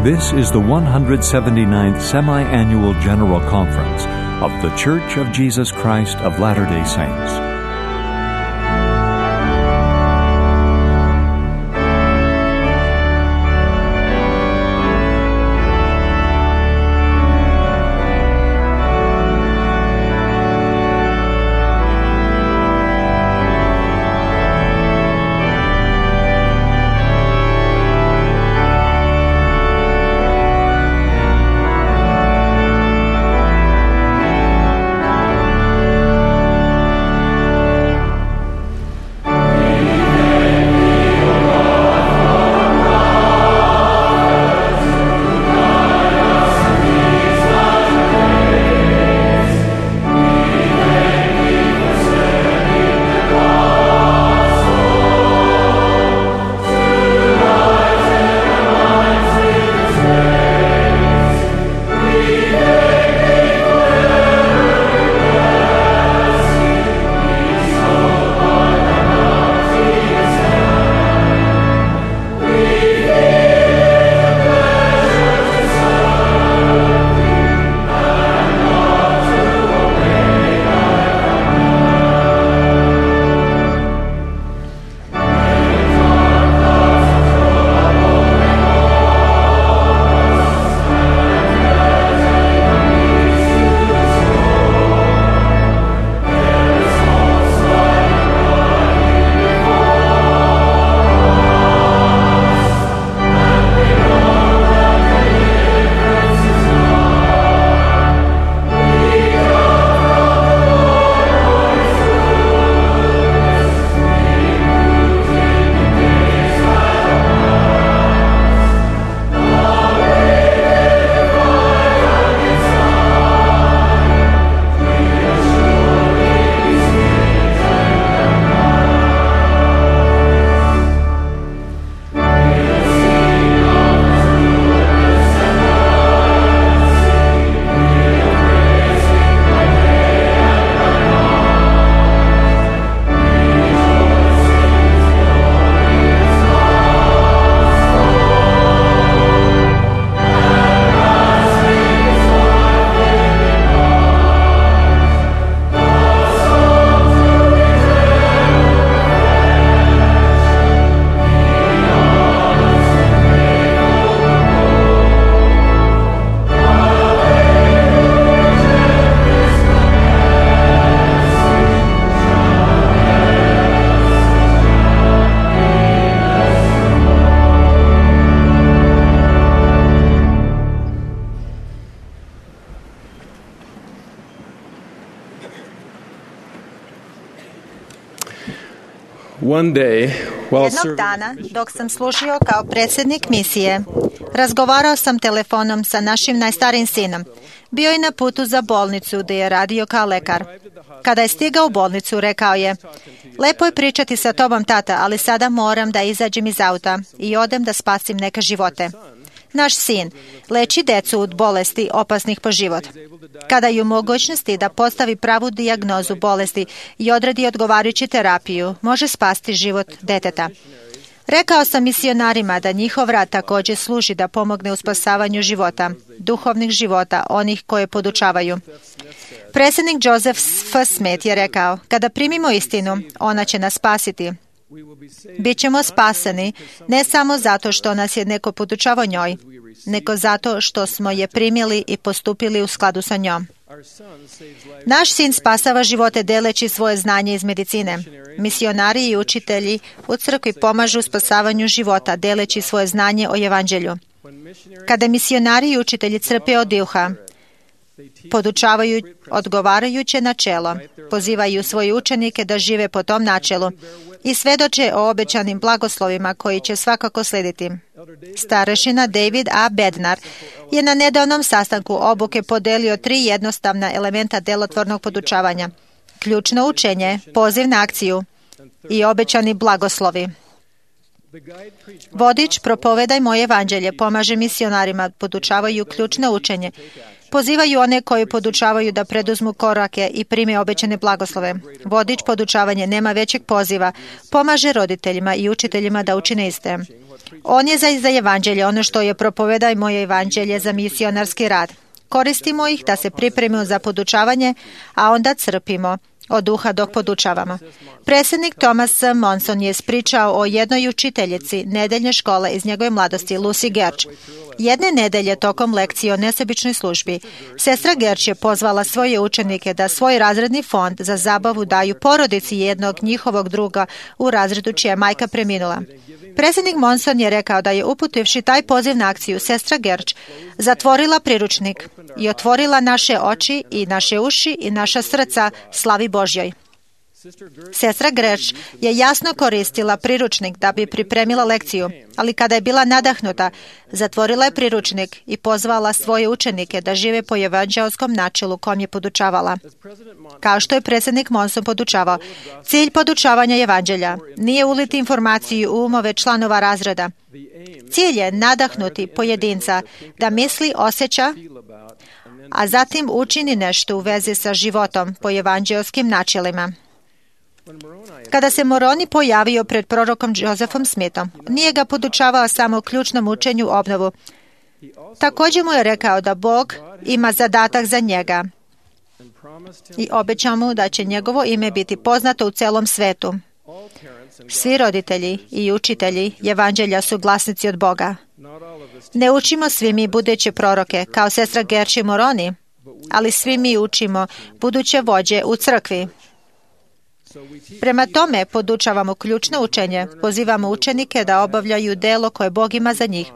This is the 179th Semi-Annual General Conference of The Church of Jesus Christ of Latter-day Saints. Jednog dana, dok sam služio kao predsjednik misije, razgovarao sam telefonom sa našim najstarijim sinom. Bio je na putu za bolnicu gdje je radio kao lekar. Kada je stigao u bolnicu, rekao je: "Lepo je pričati sa tobom, tata, ali sada moram da izađem iz auta i odem da spasim neke živote." Naš sin leči decu od bolesti opasnih po život. Kada je u mogućnosti da postavi pravu dijagnozu bolesti i odredi odgovarajuću terapiju, može spasti život deteta. Rekao sam misionarima da njihov rad također služi da pomogne u spasavanju života, duhovnih života, onih koje podučavaju. Predsjednik Joseph F. Smith je rekao: "Kada primimo istinu, ona će nas spasiti. Bićemo spaseni ne samo zato što nas je neko podučavao njoj, nego zato što smo je primili i postupili u skladu sa njom." Naš sin spasava živote deleći svoje znanje iz medicine. Misionari i učitelji u crkvi pomažu u spasavanju života deleći svoje znanje o evanđelju. Kada misionari i učitelji crpe od duha, podučavaju odgovarajuće načelo, pozivaju svoje učenike da žive po tom načelu i svedoče o obećanim blagoslovima koji će svakako slijediti. Starešina David A. Bednar je na nedavnom sastanku obuke podelio 3 jednostavna elementa delotvornog podučavanja: ključno učenje, poziv na akciju i obećani blagoslovi. Vodič Propovedaj moje evanđelje pomaže misionarima, podučavaju ključno učenje, pozivaju one koji podučavaju da preduzmu korake i prime obećane blagoslove. Vodič podučavanje nema većeg poziva, pomaže roditeljima i učiteljima da učine iste. On je za evanđelje ono što je Propovedaj moje evanđelje za misionarski rad. Koristimo ih da se pripremimo za podučavanje, a onda crpimo od duha dok podučavamo. Predsjednik Thomas Monson je ispričao o jednoj učiteljici nedeljne škole iz njegove mladosti, Lucy Gerch. Jedne nedelje tokom lekcije o nesebičnoj službi, sestra Gerch je pozvala svoje učenike da svoj razredni fond za zabavu daju porodici jednog njihovog druga u razredu čija je majka preminula. Predsjednik Monson je rekao da je uputivši taj poziv na akciju, sestra Gerch zatvorila priručnik i otvorila naše oči i naše uši i naša srca slavi Božjoj. Sestra Gerch je jasno koristila priručnik da bi pripremila lekciju, ali kada je bila nadahnuta, zatvorila je priručnik i pozvala svoje učenike da žive po evanđelskom načelu kom je podučavala. Kao što je predsjednik Monson podučavao, cilj podučavanja evanđelja nije uliti informaciju u umove članova razreda. Cilj je nadahnuti pojedinca da misli, osjeća, a zatim učini nešto u vezi sa životom po evanđelskim načelima. Kada se Moroni pojavio pred prorokom Josephom Smithom, nije ga podučavao samo ključnom učenju obnovu. Također mu je rekao da Bog ima zadatak za njega i obećao mu da će njegovo ime biti poznato u celom svetu. Svi roditelji i učitelji evanđelja su glasnici od Boga. Ne učimo svi mi buduće proroke, kao sestra Gerch i Moroni, ali svi mi učimo buduće vođe u crkvi. Prema tome podučavamo ključno učenje, pozivamo učenike da obavljaju delo koje Bog ima za njih,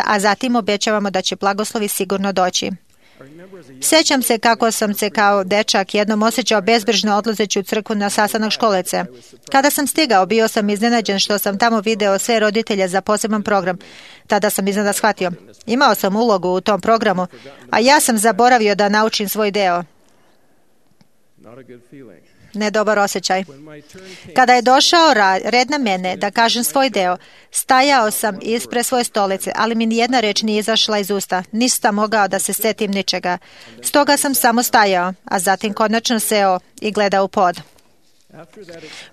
a zatim obećavamo da će blagoslovi sigurno doći. Sjećam se kako sam se kao dečak jednom osjećao bezbrižno odlazeći u crkvu na sastanak školece. Kada sam stigao, bio sam iznenađen što sam tamo video sve roditelje za poseban program. Tada sam iznenada shvatio. Imao sam ulogu u tom programu, a ja sam zaboravio da naučim svoj deo. Nedobar osjećaj. Kada je došao red na mene da kažem svoj deo, stajao sam ispred svoje stolice, ali mi nijedna reč nije izašla iz usta. Nisam mogao da se setim ničega. Stoga sam samo stajao, a zatim konačno seo i gledao u pod.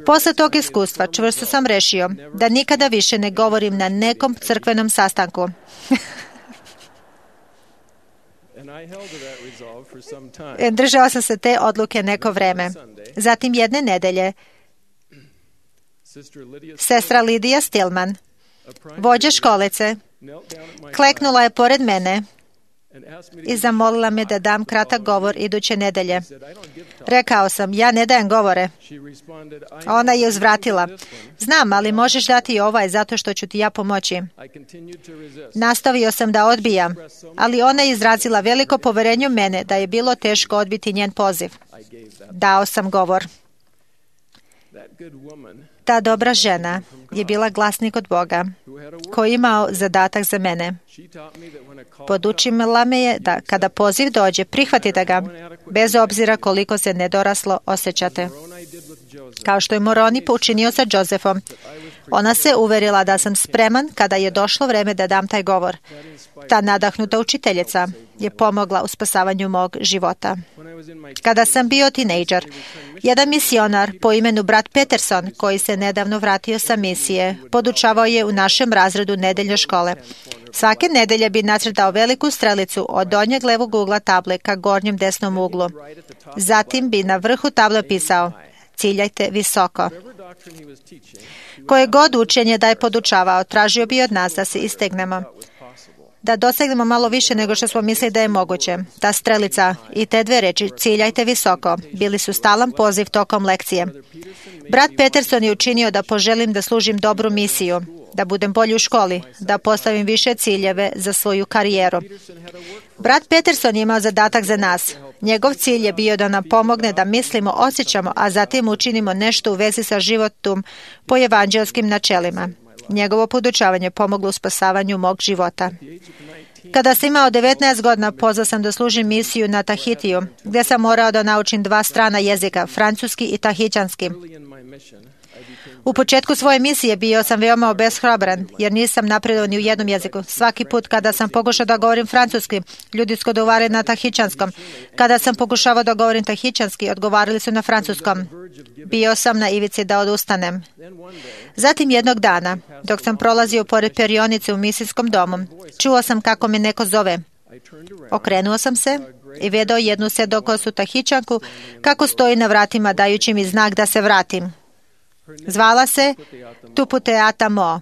Posle tog iskustva čvrsto sam rešio da nikada više ne govorim na nekom crkvenom sastanku. Držao sam se te odluke neko vreme. Zatim jedne nedelje, sestra Lidija Stillman, vođa školice, kleknula je pored mene i zamolila me da dam kratak govor iduće nedelje. Rekao sam, ja ne dajem govore. Ona je uzvratila, znam, ali možeš dati i ovaj zato što ću ti ja pomoći. Nastavio sam da odbijam, ali ona je izrazila veliko poverenje u mene da je bilo teško odbiti njen poziv. Dao sam govor. Ta dobra žena je bila glasnik od Boga, koji je imao zadatak za mene. Podučila me je da kada poziv dođe, prihvatite ga, bez obzira koliko se nedoraslo osjećate. Kao što je Moroni učinio sa Josefom, ona se uverila da sam spreman kada je došlo vreme da dam taj govor. Ta nadahnuta učiteljica je pomogla u spasavanju mog života. Kada sam bio tinejdžer, jedan misionar po imenu brat Peterson, koji se nedavno vratio sa misije, podučavao je u našem razredu nedeljne škole. Svake nedelje bi nacrtao veliku strelicu od donjeg levog ugla table ka gornjem desnom uglu. Zatim bi na vrhu table pisao: ciljajte visoko. Koje god učenje da je podučavao, tražio bi od nas da se istegnemo, da dosegnemo malo više nego što smo mislili da je moguće. Ta strelica i te dve reči, ciljajte visoko, bili su stalan poziv tokom lekcije. Brat Peterson je učinio da poželim da služim dobru misiju, da budem bolji u školi, da postavim više ciljeve za svoju karijeru. Brat Peterson je imao zadatak za nas. Njegov cilj je bio da nam pomogne da mislimo, osjećamo, a zatim učinimo nešto u vezi sa životom po evanđelskim načelima. Njegovo podučavanje pomoglo u spasavanju mog života. Kada sam imao 19 godina, pozvao sam da služim misiju na Tahitiju, gdje sam morao da naučim 2 strana jezika, francuski i tahićanski. U početku svoje misije bio sam veoma obeshrabran, jer nisam napredovao ni u jednom jeziku. Svaki put kada sam pokušao da govorim francuski, ljudi su odgovarali na tahićanskom. Kada sam pokušavao da govorim tahićanski, odgovarali su na francuskom. Bio sam na ivici da odustanem. Zatim jednog dana, dok sam prolazio pored perionice u misijskom domu, čuo sam kako me neko zove. Okrenuo sam se i vidio jednu sedokosu tahićanku kako stoji na vratima dajući mi znak da se vratim. Zvala se Tuputeata Mo.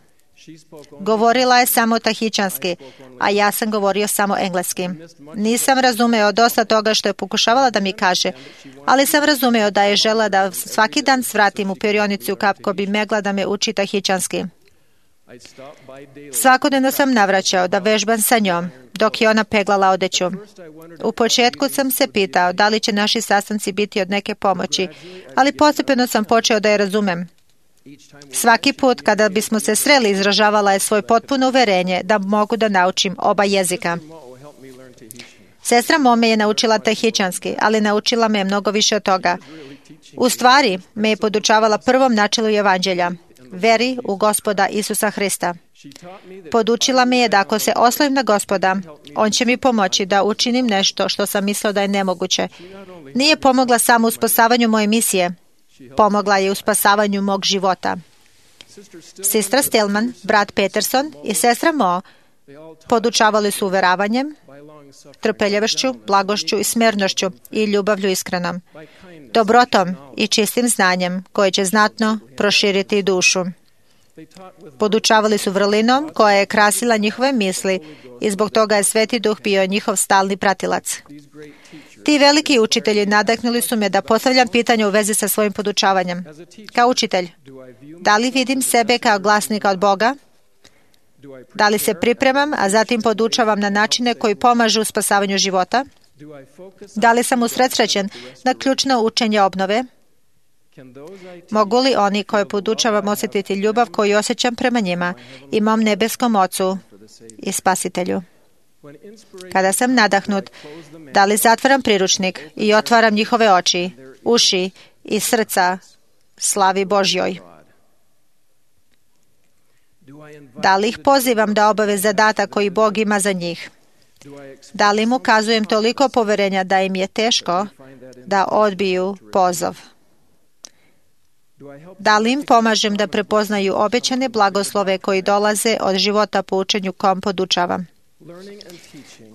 Govorila je samo tahićanski, a ja sam govorio samo engleski. Nisam razumeo dosta toga što je pokušavala da mi kaže, ali sam razumeo da je žela da svaki dan svratim u perionicu kako bi megla da me uči tahićanski. Svakodnevno sam navraćao da vežbam sa njom, dok je ona peglala odeću. U početku sam se pitao da li će naši sastanci biti od neke pomoći, ali postepeno sam počeo da je razumem. Svaki put kada bismo se sreli, izražavala je svoje potpuno uverenje da mogu da naučim oba jezika. Sestra Mo me je naučila tahićanski, ali naučila me je mnogo više od toga. U stvari, me je podučavala prvom načelu evanđelja, veri u Gospoda Isusa Hrista. Podučila me je da ako se oslovim na Gospoda, On će mi pomoći da učinim nešto što sam mislio da je nemoguće. Nije pomogla samo u spasavanju moje misije, pomogla je u spasavanju mog života. Sestra Stillman, brat Peterson i sestra Mo podučavali su uveravanjem, trpeljavošću, blagošću i smjernošću i ljubavlju iskrenom, dobrotom i čistim znanjem koje će znatno proširiti dušu. Podučavali su vrlinom koja je krasila njihove misli i zbog toga je Sveti Duh bio njihov stalni pratilac. Ti veliki učitelji nadahnuli su me da postavljam pitanje u vezi sa svojim podučavanjem. Kao učitelj, da li vidim sebe kao glasnika od Boga? Da li se pripremam, a zatim podučavam na načine koji pomažu u spasavanju života? Da li sam usredsrećen na ključno učenje obnove? Mogu li oni koje podučavam osjetiti ljubav koju osjećam prema njima i mom nebeskom Ocu i Spasitelju? Kada sam nadahnut, da li zatvaram priručnik i otvaram njihove oči, uši i srca slavi Božjoj? Da li ih pozivam da obave zadatak koji Bog ima za njih? Da li im ukazujem toliko poverenja da im je teško da odbiju poziv? Da li im pomažem da prepoznaju obećane blagoslove koji dolaze od života po učenju kom podučavam?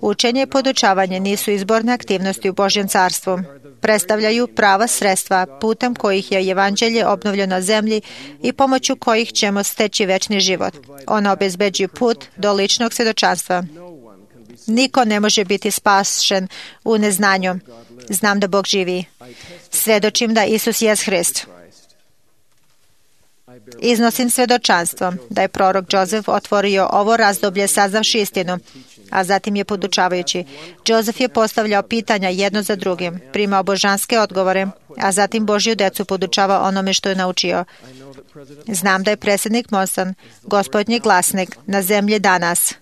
Učenje i podučavanje nisu izborne aktivnosti u Božjem carstvu. Predstavljaju prava sredstva putem kojih je evanđelje obnovljeno na zemlji i pomoću kojih ćemo steći večni život. Ona obezbeđuje put do ličnog svjedočanstva. Niko ne može biti spašen u neznanju. Znam da Bog živi. Svedočim da Isus jest Hrist. Iznosim svjedočanstvo da je prorok Josef otvorio ovo razdoblje saznavši istinu, a zatim je podučavajući. Joseph je postavljao pitanja jedno za drugim, primao božanske odgovore, a zatim Božju decu podučavao onome što je naučio. Znam da je predsjednik Monson gospodnji glasnik na zemlji danas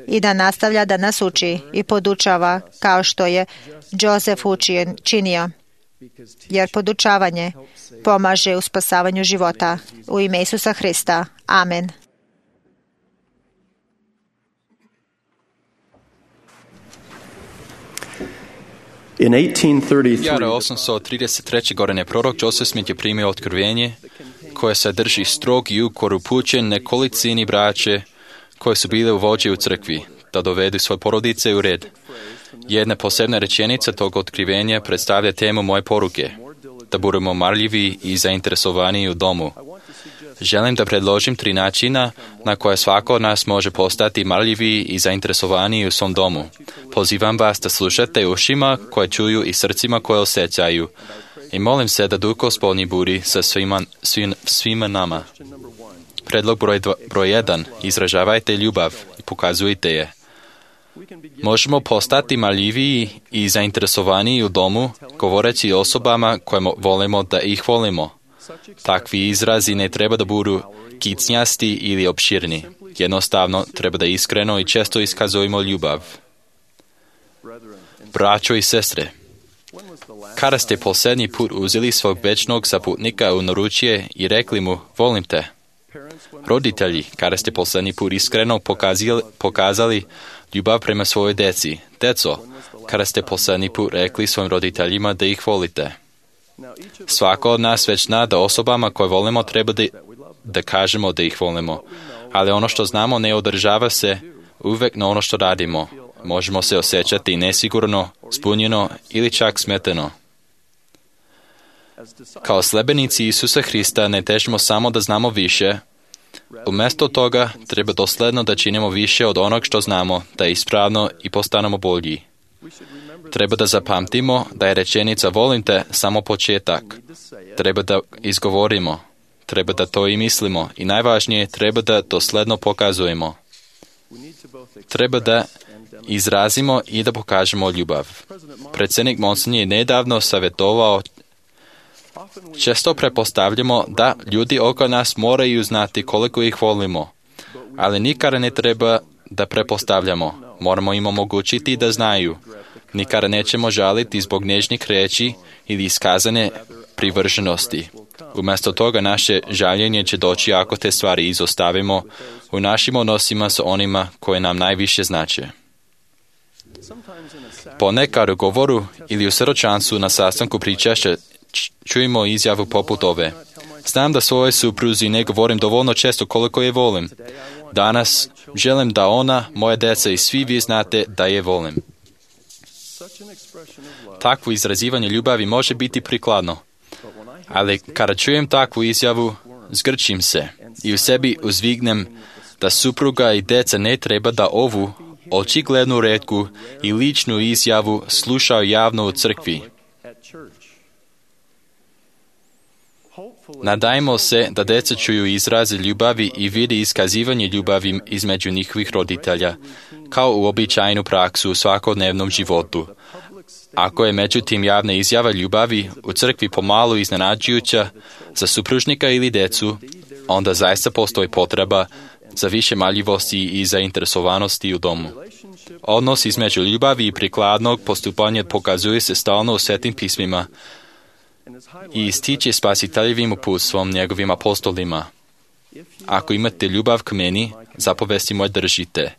i da nastavlja da nas uči i podučava kao što je Joseph činio, jer podučavanje pomaže u spasavanju života. U ime Isusa Hrista. Amen. In 1833, Jara 833. godine prorok Joseph Smith je primio otkrivenje koje sadrži strog juk koji upućen nekolicini braće koje su bile u vođi u crkvi, da dovedu svoje porodice u red. Jedna posebna rečenica tog otkrivenja predstavlja temu moje poruke, da budemo marljivi i zainteresovani u domu. Želim da predložim 3 načina na koje svako od nas može postati marljivi i zainteresovani u svom domu. Pozivam vas da slušate ušima koje čuju i srcima koje osjećaju. I molim se da Duh Gospodnji budi sa svima nama. Predlog broj 1. Izražavajte ljubav i pokazujte je. Možemo postati marljiviji i zainteresovani u domu, govoreći osobama koje volimo da ih volimo. Takvi izrazi ne treba da budu kicnjasti ili opširni. Jednostavno, treba da iskreno i često iskazujemo ljubav. Braćo i sestre, kada ste posljednji put uzeli svog večnog saputnika u naručje i rekli mu, volim te? Roditelji, kada ste posljednji put iskreno pokazali ljubav prema svojoj deci? Deco, kada ste posljednji put rekli svojim roditeljima da ih volite? Svako od nas već zna da osobama koje volimo treba da kažemo da ih volimo, ali ono što znamo ne održava se uvek na ono što radimo. Možemo se osjećati nesigurno, zbunjeno ili čak smeteno. Kao sledbenici Isusa Hrista ne težimo samo da znamo više. Umjesto toga treba dosledno da činimo više od onog što znamo, da je ispravno i postanemo bolji. Treba da zapamtimo da je rečenica volim te samo početak. Treba da izgovorimo. Treba da to i mislimo. I najvažnije, treba da dosledno pokazujemo. Treba da izrazimo i da pokažemo ljubav. Predsjednik Monson je nedavno savjetovao, često prepostavljamo da ljudi oko nas moraju znati koliko ih volimo, ali nikada ne treba da prepostavljamo. Moramo im omogućiti da znaju. Nikada nećemo žaliti zbog nežnih riječi ili iskazane privrženosti. Umjesto toga naše žaljenje će doći ako te stvari izostavimo u našim odnosima sa onima koje nam najviše znače. Ponekad u govoru ili u srčancu na sastanku pričašća čujemo izjavu poput ove. Znam da svojoj supruzi ne govorim dovoljno često koliko je volim. Danas želim da ona, moje djeca i svi vi znate da je volim. Takvo izrazivanje ljubavi može biti prikladno, ali kada čujem takvu izjavu, zgrčim se i u sebi uzvignem da supruga i djeca ne treba da ovu očiglednu retku i ličnu izjavu slušaju javno u crkvi. Nadajmo se da djeca čuju izraze ljubavi i vidi iskazivanje ljubavi između njihovih roditelja, kao uobičajenu praksu u svakodnevnom životu. Ako je međutim javna izjava ljubavi u crkvi pomalo iznenađujuća za supružnika ili djecu, onda zaista postoji potreba za više marljivosti i zainteresovanosti u domu. Odnos između ljubavi i prikladnog postupanja pokazuje se stalno u Svetim pismima i ističe spasiteljevim uputstvom njegovim apostolima. Ako imate ljubav k meni, zapovesti moje držite.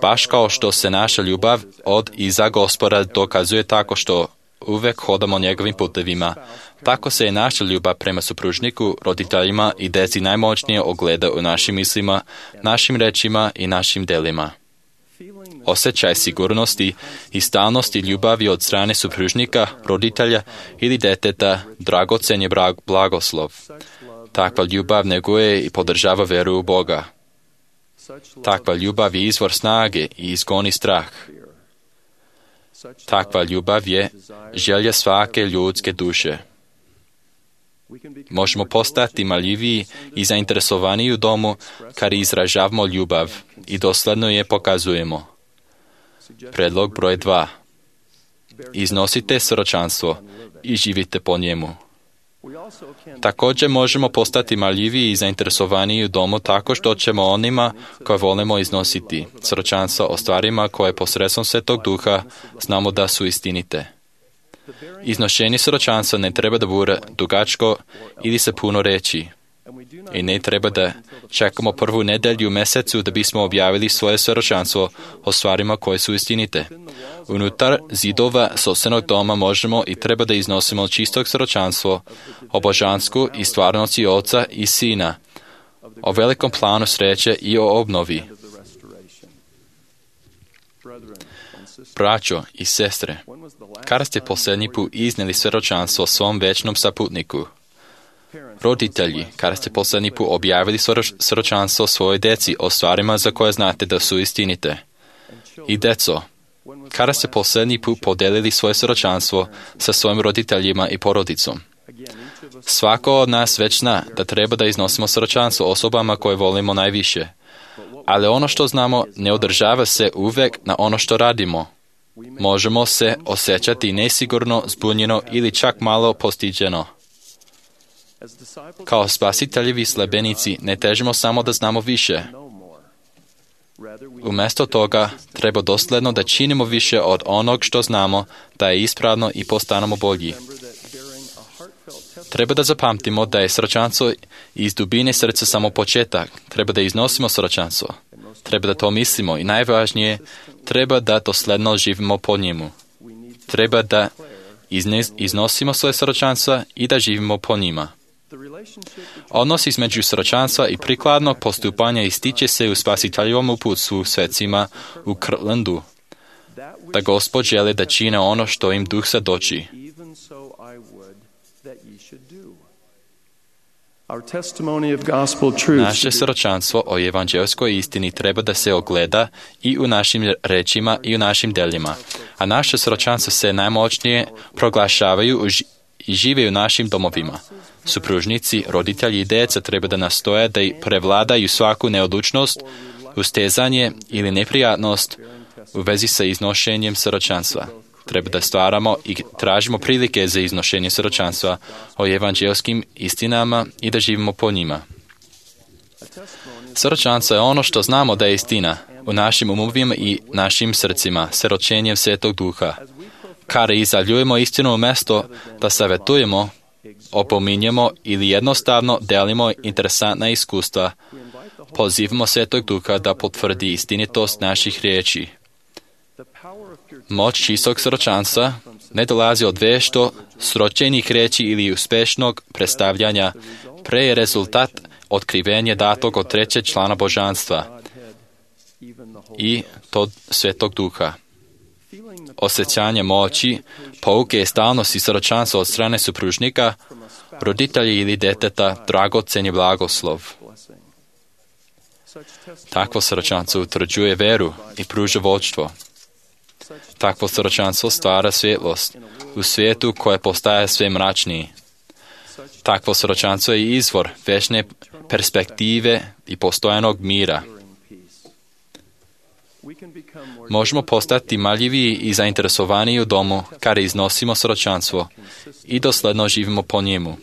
Baš kao što se naša ljubav od i za Gospoda dokazuje tako što uvek hodamo njegovim putevima, tako se je naša ljubav prema supružniku, roditeljima i deci najmoćnije ogleda u našim mislima, našim rečima i našim delima. Osjećaj sigurnosti i stalnosti ljubavi od strane supružnika, roditelja ili deteta dragocen je blagoslov. Takva ljubav neguje i podržava veru u Boga. Takva ljubav je izvor snage i izgoni strah. Takva ljubav je želja svake ljudske duše. Možemo postati marljiviji i zainteresovaniji u domu kad izražavamo ljubav i dosledno je pokazujemo. Predlog broj 2. Iznosite svjedočanstvo i živite po njemu. Također možemo postati marljiviji i zainteresovaniji u domu tako što ćemo onima koje volimo iznositi svjedočanstvo o stvarima koje posredstvom Svetog Duha znamo da su istinite. Iznošenje svjedočanstva ne treba da bude dugačko ili se puno reći. I ne treba da čekamo prvu nedjelju u mjesecu da bismo objavili svoje svjedočanstvo o stvarima koje su istinite. Unutar zidova sopstvenog doma možemo i treba da iznosimo čistog svjedočanstvo o božansku i stvarnosti Oca i Sina, o velikom planu sreće i o obnovi. Braćo i sestre, kada ste posljednji put iznijeli svjedočanstvo svom večnom saputniku? Roditelji, kada ste posljednji put objavili svjedočanstvo svojoj djeci o stvarima za koje znate da su istinite? I deco, kada ste posljednji put podelili svoje svjedočanstvo sa svojim roditeljima i porodicom? Svako od nas već zna da treba da iznosimo svjedočanstvo osobama koje volimo najviše. Ali ono što znamo ne održava se uvijek na ono što radimo. Možemo se osjećati nesigurno, zbunjeno ili čak malo postiđeno. Kao spasiteljevi sljedbenici ne težimo samo da znamo više. Umjesto toga treba dosledno da činimo više od onog što znamo da je ispravno i postanemo bolji. Treba da zapamtimo da je svjedočanstvo iz dubine srca samo početak. Treba da iznosimo svjedočanstvo. Treba da to mislimo i najvažnije, treba da dosledno živimo po njemu. Treba da iznosimo svoje svjedočanstva i da živimo po njima. Odnos između svjedočanstva i prikladnog postupanja ističe se u spasiteljovom uputstvu svecima u Kirtlandu, da Gospod želi da čine ono što im Duh sadoči. Naše svjedočanstvo o evanđelskoj istini treba da se ogleda i u našim rečima i u našim djelima, a naše svjedočanstvo se najmoćnije proglašavaju i žive u našim domovima. Supružnici, roditelji i djeca treba da nastoje da prevladaju svaku neodlučnost, ustezanje ili neprijatnost u vezi sa iznošenjem svjedočanstva. Treba da stvaramo i tražimo prilike za iznošenje svjedočanstva o evanđelskim istinama i da živimo po njima. Svjedočanstvo je ono što znamo da je istina u našim umovima i našim srcima, svjedočenjem Svetog Duha. Kada izjavljujemo istinu u mjesto da savjetujemo, opominjemo ili jednostavno delimo interesantna iskustva, pozivamo Svetog Duha da potvrdi istinitost naših riječi. Moć čistog svjedočanstva ne dolazi od vješto, sročenih riječi ili uspješnog predstavljanja, pre je rezultat otkrivenja datog od trećeg člana božanstva i to Svetog Duha. Osjećanje moći, pouke i stalnosti svjedočanstva od strane supružnika, roditelji ili djeteta, dragocen je blagoslov. Takvo svjedočanstvo utvrđuje veru i pruža vodstvo. Takvo svjedočanstvo stvara svjetlost u svijetu koje postaje sve mračniji. Takvo svjedočanstvo je izvor večne perspektive i postojanog mira. Možemo postati marljiviji i zainteresovaniji u domu kada iznosimo svjedočanstvo i dosledno živimo po njemu.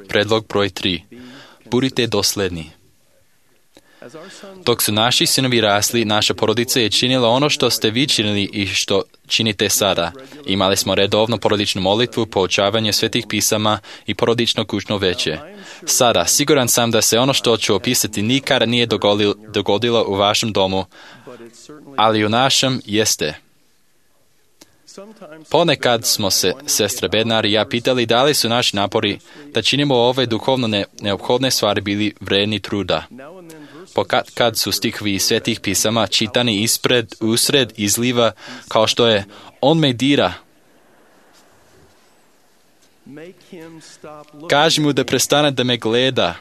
Predlog broj 3. Budite dosledni. Dok su naši sinovi rasli, naša porodica je činila ono što ste vi činili i što činite sada. Imali smo redovno porodičnu molitvu, poučavanje svetih pisama i porodično kućno veće. Sada, siguran sam da se ono što ću opisati nikada nije dogodilo u vašem domu, ali u našem jeste. Ponekad smo se, sestra Bednar i ja, pitali da li su naši napori da činimo ove duhovno neophodne stvari bili vredni truda. Kad su stihovi iz svetih pisama čitani usred izliva kao što je on me dira. Kaži mu da prestane da me gleda.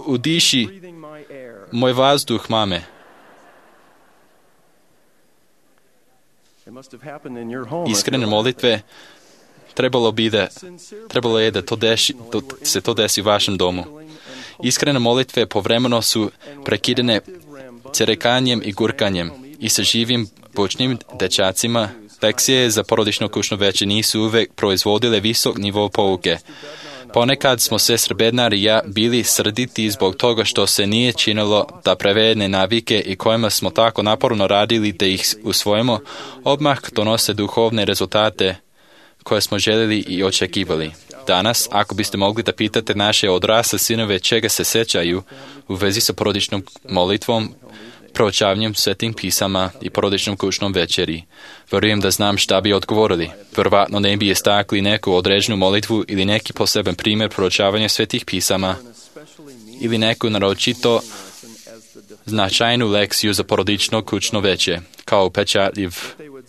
Udiši moj vazduh, mame. Iskrene molitve trebalo je da se to desi u vašem domu. Iskrene molitve povremeno su prekidane cerekanjem i gurkanjem i sa živim bučnim dečacima. Lekcije za porodično kućno veče nisu uvek proizvodile visok nivo pouke. Ponekad smo sestra Bednar i ja bili srditi zbog toga što se nije činilo da prevedene navike i kojima smo tako naporno radili da ih usvojimo, odmah donose duhovne rezultate koje smo željeli i očekivali. Danas, ako biste mogli da pitate naše odrasle sinove čega se sećaju u vezi sa porodičnom molitvom, proučavanjem svetim pisama i porodičnom kućnom večeri, vjerujem da znam šta bi odgovorili. Vjerovatno ne bi istakli neku određenu molitvu ili neki poseban primjer proučavanja svetih pisama ili neku naročito značajnu lekciju za porodično kućno veče, kao upečatljiv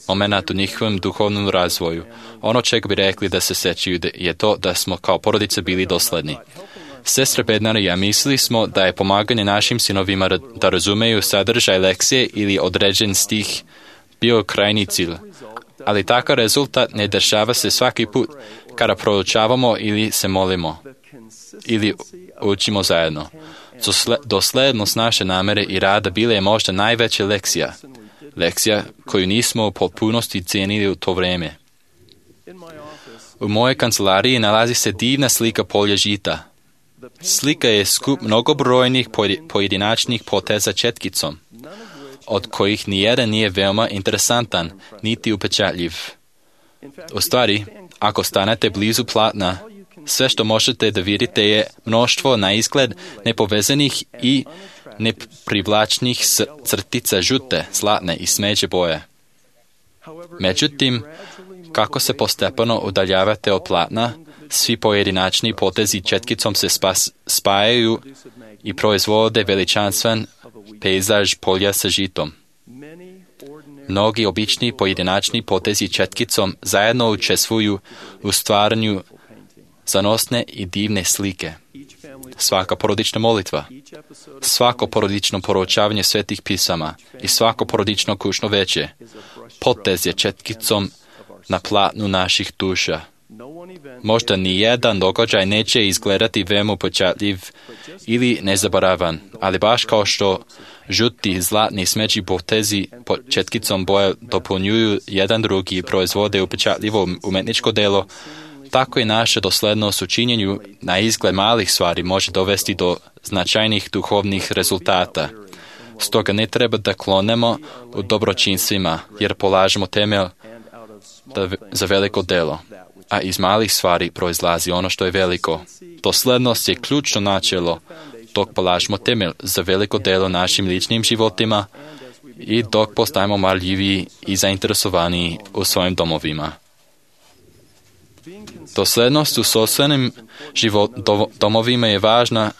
moment u njihovom duhovnom razvoju. Ono čega bi rekli da se sećaju je to da smo kao porodice bili dosledni. Sestra Bednar i ja mislili smo da je pomaganje našim sinovima da razumeju sadržaj lekcije ili određen stih bio krajni cilj. Ali takav rezultat ne dešava se svaki put kada proučavamo ili se molimo ili učimo zajedno. Doslednost naše namere i rada bila je možda najveća lekcija koju nismo u potpunosti cijenili u to vrijeme. U mojoj kancelariji nalazi se divna slika polja žita. Slika je skup mnogobrojnih pojedinačnih poteza četkicom, od kojih nijedan nije veoma interesantan, niti upečatljiv. U stvari, ako stanete blizu platna, sve što možete da vidite je mnoštvo na izgled nepovezanih i neprivlačnih crtica žute, zlatne i smeđe boje. Međutim, kako se postepeno udaljavate od platna, svi pojedinačni potezi četkicom se spajaju i proizvode veličanstven pejzaž polja sa žitom. Mnogi obični pojedinačni potezi četkicom zajedno učestvuju u stvaranju zanosne i divne slike. Svaka porodična molitva, svako porodično proučavanje svetih pisama i svako porodično kućno veče potez je četkicom na platnu naših duša. Možda ni jedan događaj neće izgledati veoma upečatljiv ili nezaboravan, ali baš kao što žuti, zlatni, smeđi potezi pod četkicom boja dopunjuju jedan drugi i proizvode upečatljivo umetničko delo, tako i naša doslednost u činjenju na izgled malih stvari može dovesti do značajnih duhovnih rezultata. Stoga ne treba da klonemo u dobročinstvima, jer polažemo temelj za veliko delo, a iz malih stvari proizlazi ono što je veliko. Doslednost je ključno načelo, dok polažemo temelj za veliko delo našim ličnim životima i dok postajemo marljiviji i zainteresovaniji u svojim domovima. Doslednost u sopstvenim domovima je važna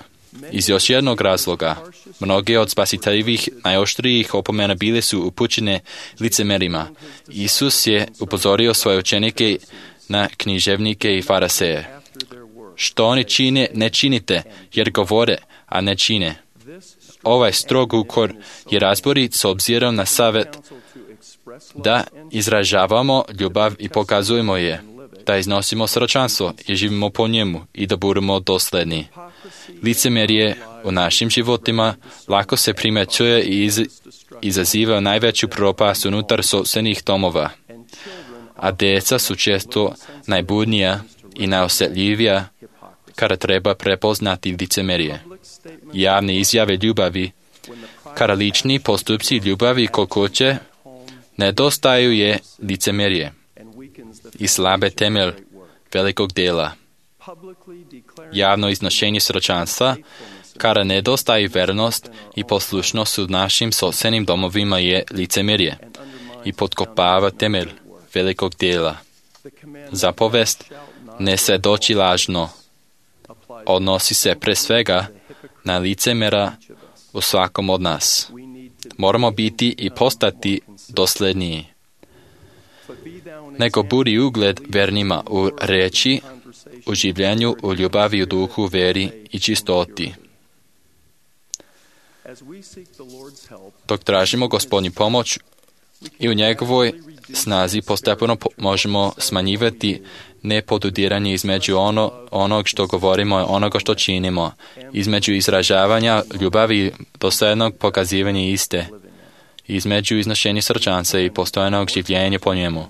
iz još jednog razloga. Mnoge od spasiteljivih najoštrijih opomena bile su upućene licemerima. Isus je upozorio svoje učenike na književnike i fariseje. Što oni čine, ne činite, jer govore, a ne čine. Ovaj strog ukor je razborit s obzirom na savjet da izražavamo ljubav i pokazujemo je, da iznosimo sročanstvo i živimo po njemu i da budemo dosledni. Licemjerje u našim životima lako se primjećuje i izaziva najveću propast unutar sopstvenih domova, a djeca su često najbudnija i najosjetljivija kada treba prepoznati licemjerje. Javne izjave ljubavi, kada lični postupci ljubavi kokoće, nedostaju je licemjerje i slabe temelj velikog dela. Javno iznošenje sročanstva, kada nedostaje vernost i poslušnost u našim sopstvenim domovima je licemjerje i potkopava temelj velikog dela. Zapovest ne se doći lažno, odnosi se pre svega na licemjera u svakom od nas. Moramo biti i postati dosledniji. Nego budi ugled vernima u reči, u življenju, u ljubavi, u duhu, veri i čistoti. Dok tražimo Gospodnju pomoć I u njegovoj snazi postepeno možemo smanjivati nepodudiranje između onog što govorimo i onoga što činimo, između izražavanja ljubavi i dosljednog pokazivanja iste, između iznošenja srčanca i postojanog življenja po njemu.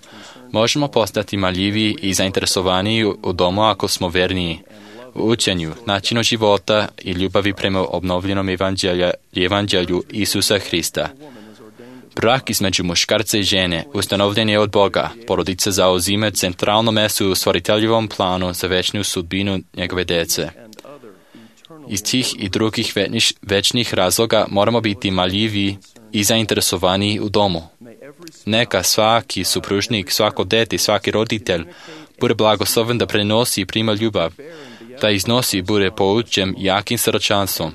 Možemo postati marljiviji i zainteresovaniji u domu ako smo verniji u učenju, načinu života i ljubavi prema obnovljenom evanđelju Isusa Hrista. Brak između muškarca i žene ustanovljen je od Boga. Porodica zauzima centralno mesto u stvoriteljivom planu za večnu sudbinu njegove dece. Iz tih i drugih večnih razloga moramo biti marljivi i zainteresovani u domu. Neka svaki supružnik, svako dete, svaki roditelj bude blagosloven da prenosi i prima ljubav, da iznosi bude poučen jakim srčanstvom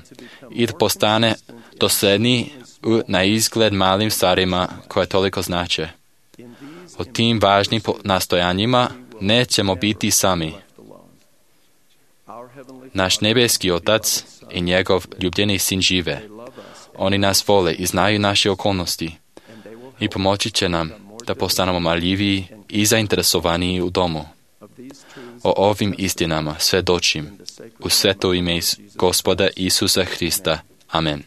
i da postane dosljedni na izgled malim stvarima koje toliko znače. O tim važnim nastojanjima nećemo biti sami. Naš nebeski Otac i njegov ljubljeni sin žive. Oni nas vole i znaju naše okolnosti i pomoći će nam da postanemo marljiviji i zainteresovaniji u domu. O ovim istinama svedočim u sveto ime Gospoda Isusa Hrista. Amen.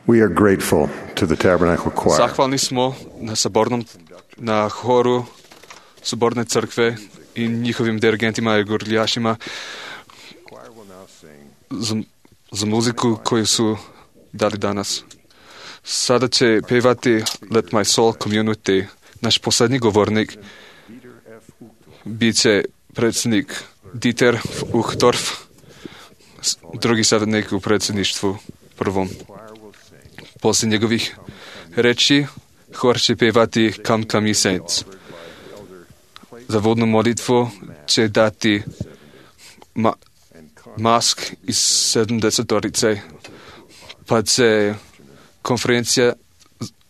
We are grateful to the Tabernacle Choir. Zahvalni smo na horu Soborne crkve i njihovim dirigentima i gorljašima za muziku koju su dali danas. Sada će pevati Let My Soul Community. Naš posljednji govornik bit će predsjednik Dieter Uchtdorf, drugi savjetnik u predsjedništvu prvom. Poslije njegovih reči hor će pevati Come Come Ye Saints. Za vodnu molitvu će dati Mask iz 70-torice, pa će konferencija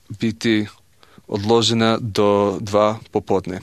biti odložena do 2 popodne.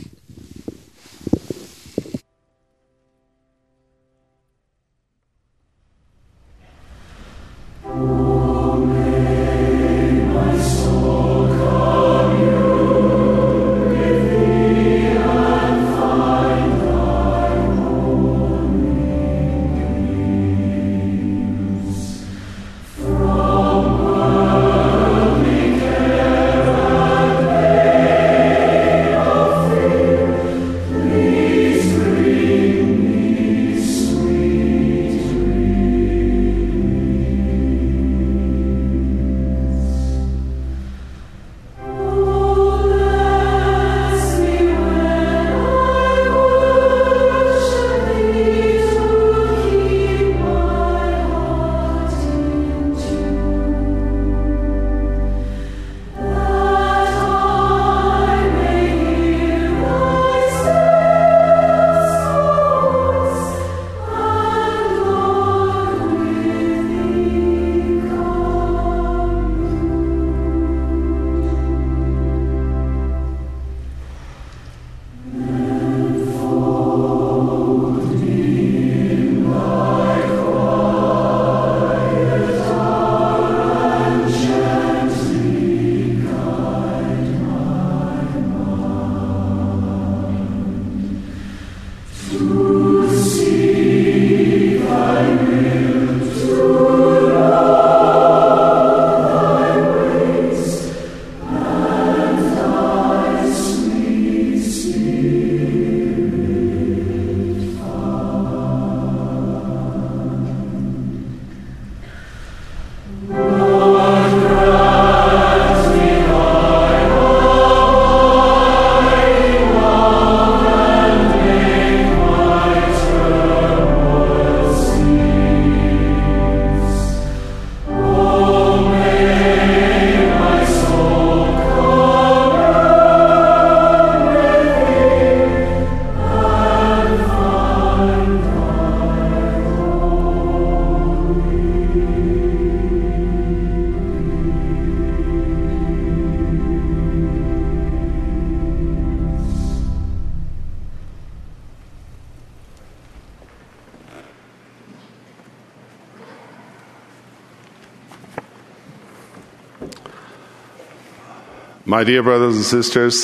My dear brothers and sisters,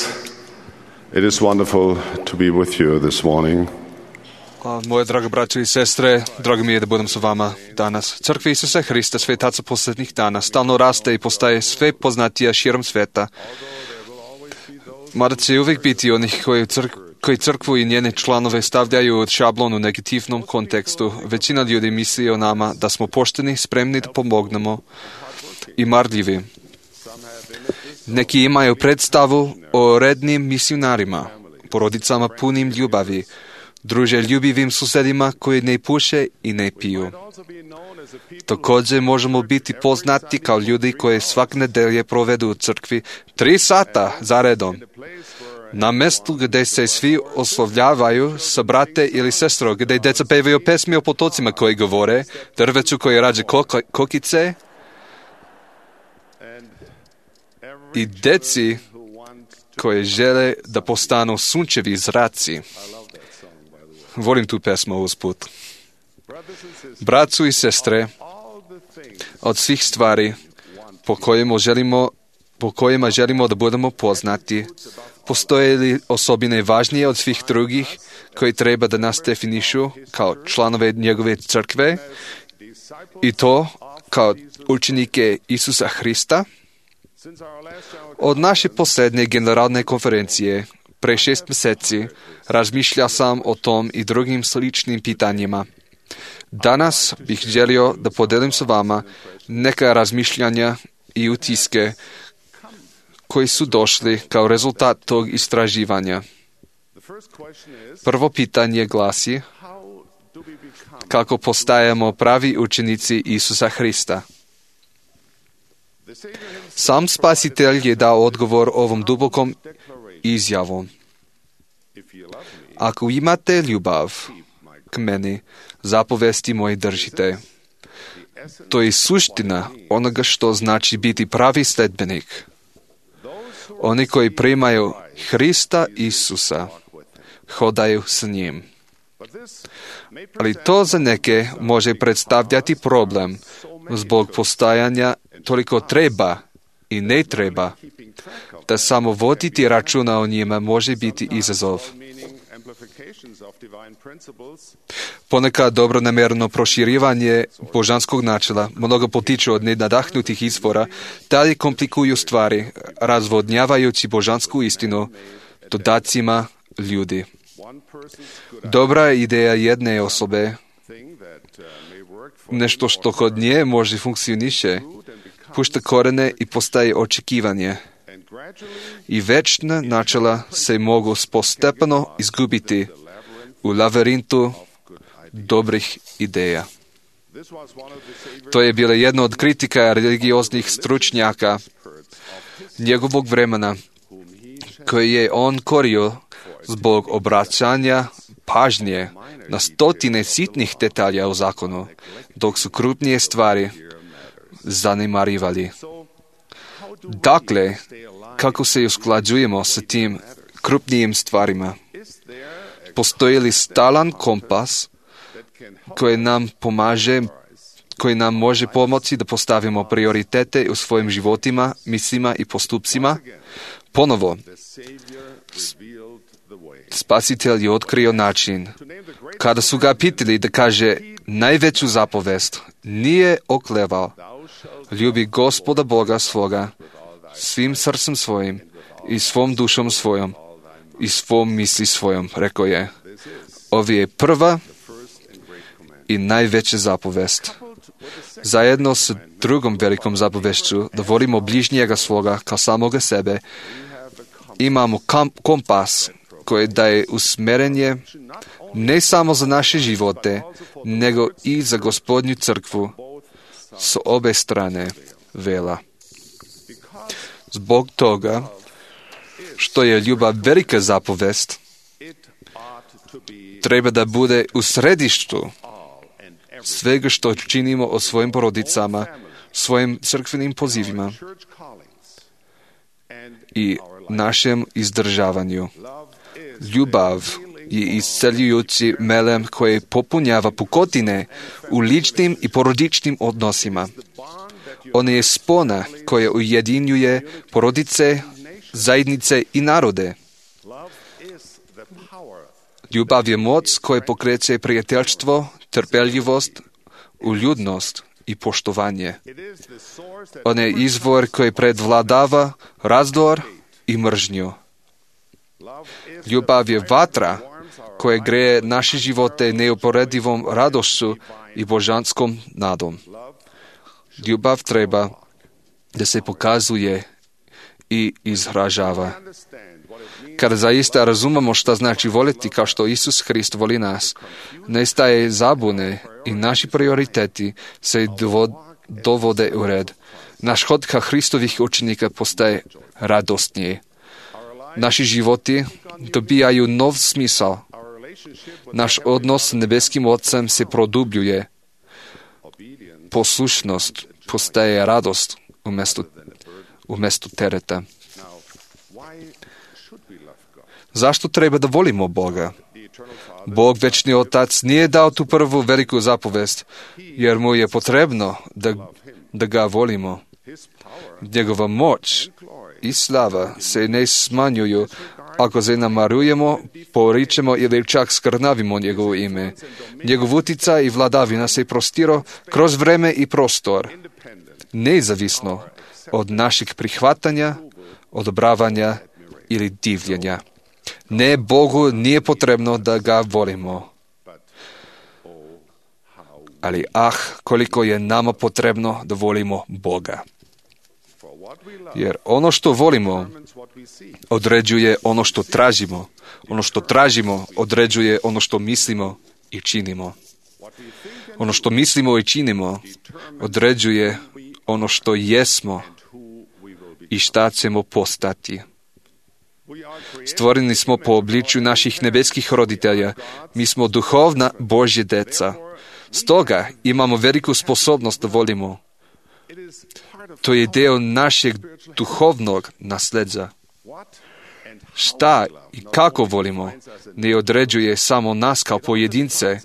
it is wonderful to be with you this morning. Moje draga braćo i sestre, drago mi je da budem sa vama danas. Crkva Isusa Hrista, svetaca posljednjih dana, stalno raste i postaje sve poznatija širom sveta. Mada će uvijek biti onih koji crkvu i njene članove stavljaju od šablon u negativnom kontekstu. Većina ljudi misli o nama da smo pošteni, spremni da pomognemo i marljivi. Neki imaju predstavu o rednim misionarima, porodicama punim ljubavi, druže ljubivim susedima koji ne puše i ne piju. Također možemo biti poznati kao ljudi koji svak nedelje provedu u crkvi 3 sata za redom. Na mjestu gdje se svi oslovljavaju sa brate ili sestro, gdje djeca pevaju pesmi o potocima koji govore, drveću koji rađe kokice i djeci koji žele da postanu sunčevi zraci. Volim tu pesmu usput. Braću i sestre, od svih stvari po kojima želimo da budemo poznati, postoje li osobine važnije od svih drugih koji treba da nas definišu kao članove njegove crkve i to kao učenike Isusa Hrista? Od naše posljednje generalne konferencije, pre 6 mjeseci, razmišljao sam o tom i drugim sličnim pitanjima. Danas bih želio da podelim s vama neka razmišljanja i utiske koji su došli kao rezultat tog istraživanja. Prvo pitanje glasi: kako postajemo pravi učenici Isusa Hrista? Sam Spasitelj je dao odgovor ovom dubokom izjavom. Ako imate ljubav k meni, zapovesti moje držite. To je suština onoga što znači biti pravi sledbenik. Oni koji primaju Hrista Isusa, hodaju s njim. Ali to za neke može predstavljati problem zbog postajanja toliko treba i ne treba, da samo voditi računa o njima može biti izazov. Ponekad dobronamjerno proširivanje božanskog načela mnogo potiče od nenadahnutih izvora, dalje komplikuju stvari, razvodnjavajući božansku istinu dodacima ljudi. Dobra ideja jedne osobe, nešto što kod nje može funkcioniše, pušta korene i postaje očekivanje. I večna načela se mogu postepeno izgubiti u lavirintu dobrih ideja. To je bila jedna od kritika religioznih stručnjaka njegovog vremena, koje je on korio zbog obraćanja pažnje na stotine sitnih detalja u zakonu, dok su krupnije stvari zanemarivali. Dakle, kako se usklađujemo sa tim krupnijim stvarima? Postoji li stalan kompas koji nam može pomoći da postavimo prioritete u svojim životima, mislima i postupcima? Ponovo, Spasitelj je otkrio način. Kada su ga pitali da kaže najveću zapovest, nije oklevao: ljubi Gospoda Boga svoga svim srcem svojim i svom dušom svojom i svom misli svojom. Rekao je: ovo je prva i najveća zapovest. Zajedno s drugom velikom zapovešću, da volimo bližnjega svoga kao samoga sebe, imamo kompas koji daje usmjerenje ne samo za naše živote, nego i za Gospodnju crkvu s obe strane vela. Zbog toga što je ljubav velika zapovest, treba da bude u središtu svega što činimo o svojim porodicama, svojim crkvenim pozivima i našem izdržavanju. Ljubav je isceljujući melem koji popunjava pukotine u ličnim i porodičnim odnosima. On je spona koja ujedinjuje porodice, zajednice i narode. Ljubav je moć koja pokreće prijateljstvo, trpeljivost, uljudnost i poštovanje. On je izvor koji predvladava razdor i mržnju. Ljubav je vatra koja greje naše živote neuporedivom radošću i božanskom nadom. Ljubav treba da se pokazuje i izražava. Kada zaista razumemo šta znači voliti kao što Isus Hrist voli nas, nestaje zabune i naši prioriteti se dovode u red. Naš hod ka Hristovih učenika postaje radosnije. Naši životi dobijaju nov smisao. Naš odnos s nebeskim Otcem se produbljuje. Poslušnost postaje radost umjesto tereta. Zašto treba da volimo Boga? Bog, večni Otac, nije dao tu prvu veliku zapovest, jer mu je potrebno da ga volimo. Njegova moć i slava se ne smanjuju ako zanemarujemo, poričemo ili čak skrnavimo njegovo ime. Njegov utjecaj i vladavina se prostiro kroz vreme i prostor, nezavisno od našeg prihvatanja, odobravanja ili divljenja. Ne, Bogu nije potrebno da ga volimo. Ali koliko je nama potrebno da volimo Boga. Jer ono što volimo određuje ono što tražimo. Ono što tražimo određuje ono što mislimo i činimo. Ono što mislimo i činimo određuje ono što jesmo i šta ćemo postati. Stvoreni smo po obličju naših nebeskih roditelja. Mi smo duhovna Božja deca. Stoga imamo veliku sposobnost da volimo. To je deo našeg duhovnog nasljeđa. Šta i kako volimo ne određuje samo nas kao pojedince,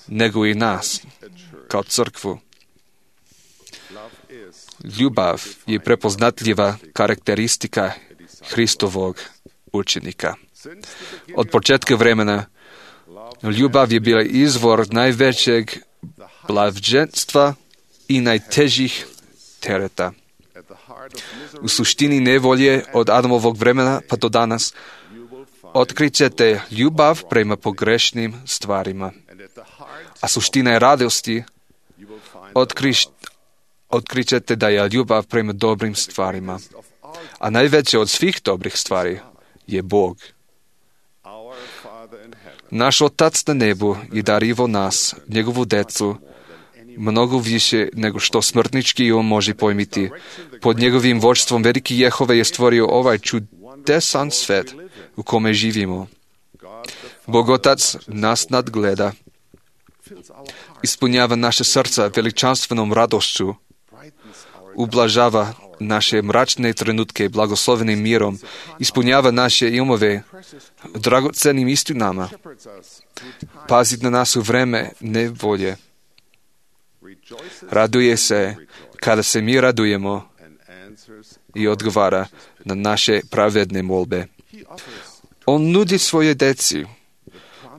nego i nas kao crkvu. Ljubav je prepoznatljiva karakteristika Hristovog učenika. Od početka vremena ljubav je bila izvor najvećeg blaženstva i najtežih tereta. U suštini nevolje od Adamovog vremena pa do danas otkrićete ljubav prema pogrešnim stvarima. A suština je radosti otkrićete da je ljubav prema dobrim stvarima. A najveće od svih dobrih stvari je Bog. Naš Otac na nebu je darivo nas, njegovu decu, mnogo više nego što smrtnički on može pojmiti. Pod njegovim vođstvom veliki Jehova je stvorio ovaj čudesan svet u kome živimo. Bog Otac nas nadgleda, ispunjava naše srca veličanstvenom radošću, ublažava naše mračne trenutke blagoslovenim mirom, ispunjava naše umove dragocenim istinama, pazi na nas u vreme nevolje. Raduje se kada se mi radujemo i odgovara na naše pravedne molbe. On nudi svoje deci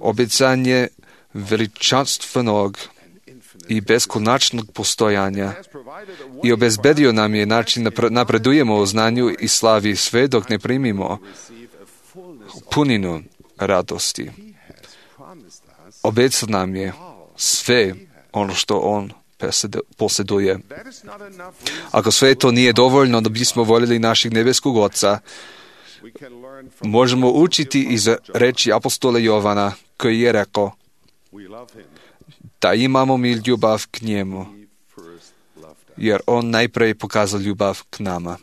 obećanje veličanstvenog i beskonačnog postojanja i obezbedio nam je način da napredujemo u znanju i slavi sve dok ne primimo puninu radosti. Obećao nam je sve ono što on posjeduje. Ako sve to nije dovoljno da bismo voljeli našeg nebeskog Oca, možemo učiti iz reči apostola Jovana koji je rekao da imamo mi ljubav k njemu, jer on najprije pokazao ljubav k nama.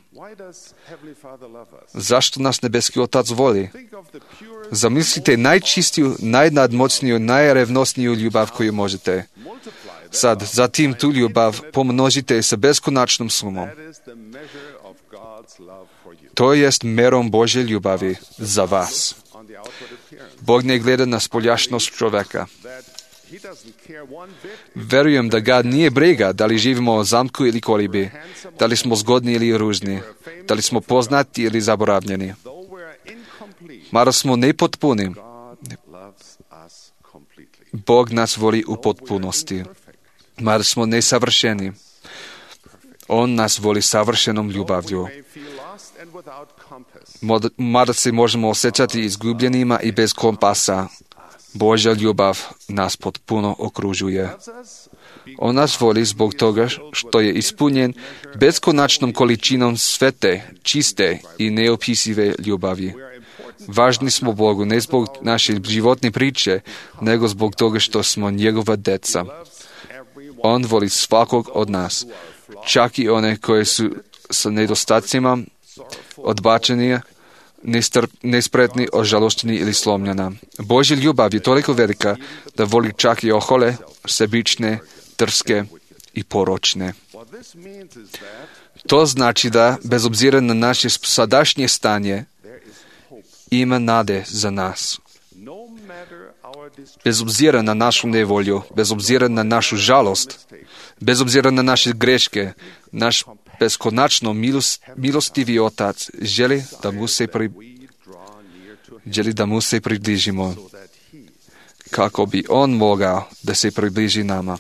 Zašto nas nebeski Otac voli? Zamislite najčistiju, najnadmoćniju, najrevnosniju ljubav koju možete. Zatim tu ljubav pomnožite sa beskonačnom sumom. To jest merom Božje ljubavi za vas. Bog ne gleda na spoljašnost čoveka. Verujem da ga nije briga da li živimo u zamku ili kolibi, da li smo zgodni ili ružni, da li smo poznati ili zaboravljeni. Mada smo nepotpuni, Bog nas voli u potpunosti. Mada smo nesavršeni, on nas voli savršenom ljubavlju. Mada se možemo osjećati izgubljenima i bez kompasa, Božja ljubav nas potpuno okružuje. On nas voli zbog toga što je ispunjen beskonačnom količinom svete, čiste i neopisive ljubavi. Važni smo Bogu ne zbog naše životne priče, nego zbog toga što smo njegova deca. On voli svakog od nas, čak i one koje su sa nedostacima, odbačeni, nespretni, ožalošćeni ili slomljena. Božja ljubav je toliko velika da voli čak i ohole, sebične, drske i poročne. To znači da, bez obzira na naše sadašnje stanje, ima nade za nas. Bez obzira na našu nevolju, bez obzira na našu žalost, bez obzira na naše greške, naš beskonačno milostivi Otac želi da mu se približimo, kako bi on mogao da se približi nama.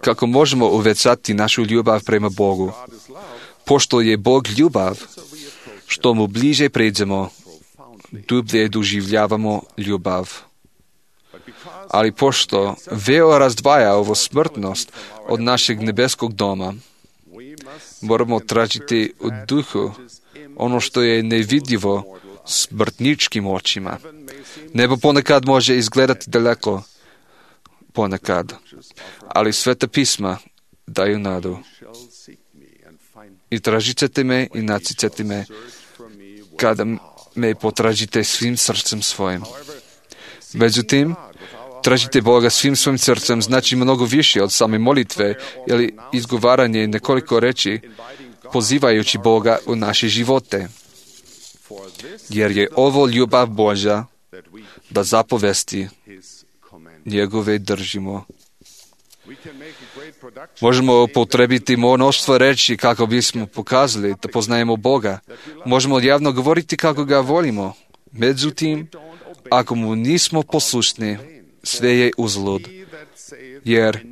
kako možemo uvećati našu ljubav prema Bogu. Pošto je Bog ljubav, što mu bliže pređemo, dublje doživljavamo ljubav. Ali pošto veo razdvaja ovo smrtnost od našeg nebeskog doma, moramo tražiti u duhu ono što je nevidljivo smrtničkim očima. Nebo ponekad može izgledati daleko, ponekad, ali Sveta pisma daju nadu. I tražit ćete me i naći ćete me kada me potražite svim srcem svojim. Međutim, tražite Boga svim svojim srcem znači mnogo više od same molitve ili izgovaranje nekoliko reči pozivajući Boga u naše živote. Jer je ovo ljubav Božja da zapovesti njegove držimo. Možemo upotrebiti mnoštvo reči kako bismo pokazali da poznajemo Boga. Možemo javno govoriti kako ga volimo. Međutim, ako mu nismo poslušni, sve je uzalud. Jer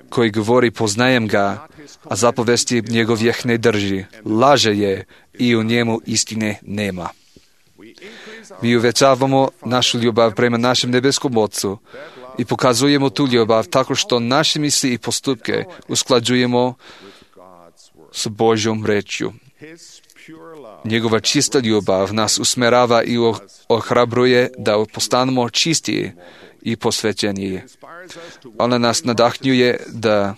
koji govori poznajem ga, a zapovesti njegovih ne drži, laže je i u njemu istine nema. Mi uvećavamo našu ljubav prema našem nebeskom Otcu i pokazujemo tu ljubav tako što naše misli i postupke usklađujemo s Božjom rečju. Njegova čista ljubav nas usmerava i ohrabruje da postanemo čistiji i posvećeniji. Ona nas nadahnjuje da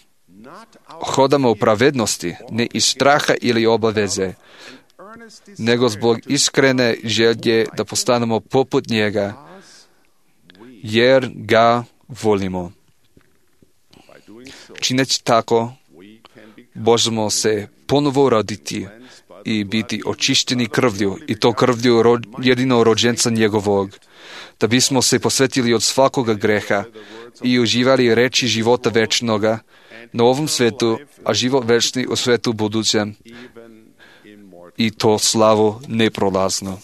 hodamo u pravednosti, ne iz straha ili obaveze, nego zbog iskrene želje da postanemo poput njega, jer ga volimo. Čineći tako, možemo se ponovo roditi i biti očišćeni krvlju, i to krvlju jedino rođenca njegovog, da bismo se posvetili od svakoga greha i uživali reči života večnoga na ovom svetu, a život večni u svetu budućem, i to slavu neprolazno.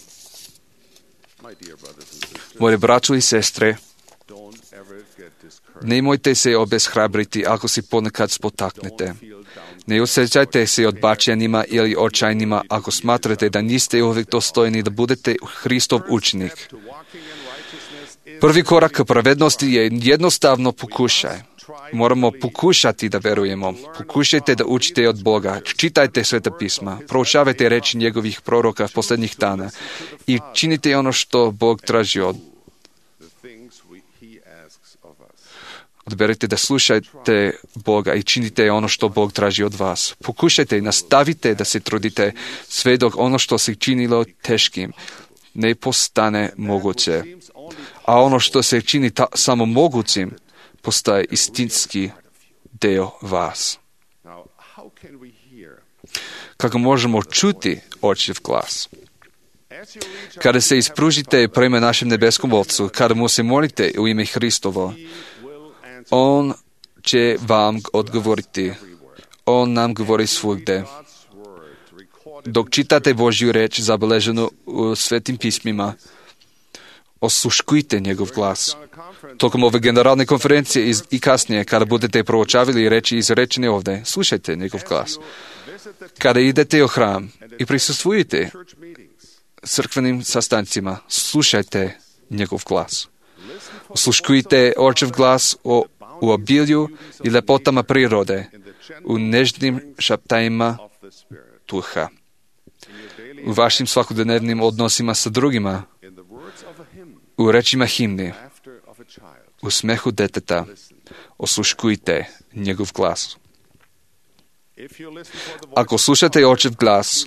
Moje braćo i sestre, nemojte se obeshrabriti ako se ponekad spotaknete. Ne osjećajte se odbačenima ili očajnima ako smatrate da niste uvijek dostojni da budete Hristov učenik. Prvi korak ka pravednosti je jednostavno pokušaj. Moramo pokušati da verujemo. Pokušajte da učite od Boga. Čitajte Sveta pisma. Proučavajte reči njegovih proroka posljednjih dana i činite ono što Bog traži od. Odberite da slušajte Boga i činite ono što Bog traži od vas. Pokušajte i nastavite da se trudite sve dok ono što se činilo teškim ne postane moguće. A ono što se čini samo mogućim postaje istinski deo vas. Kako možemo čuti očev glas? Kada se ispružite prema našem nebeskom Otcu, kada mu se molite u ime Hristovo, on će vam odgovoriti. On nam govori svugde. Dok čitate Božju reč zabeleženu u Svetim pismima, osluškujte njegov glas. Tokom ove generalne konferencije i kasnije, kada budete proučavali reči izrečene ovdje, slušajte njegov glas. Kada idete u hram i prisustvujete crkvenim sastancima, slušajte njegov glas. Osluškujte očev glas u obilju i lepotama prirode, u nežnim šaptajima duha, u vašim svakodnevnim odnosima sa drugima, u rečima himne, u smehu deteta. Osluškujte njegov glas. Ako slušate očev glas,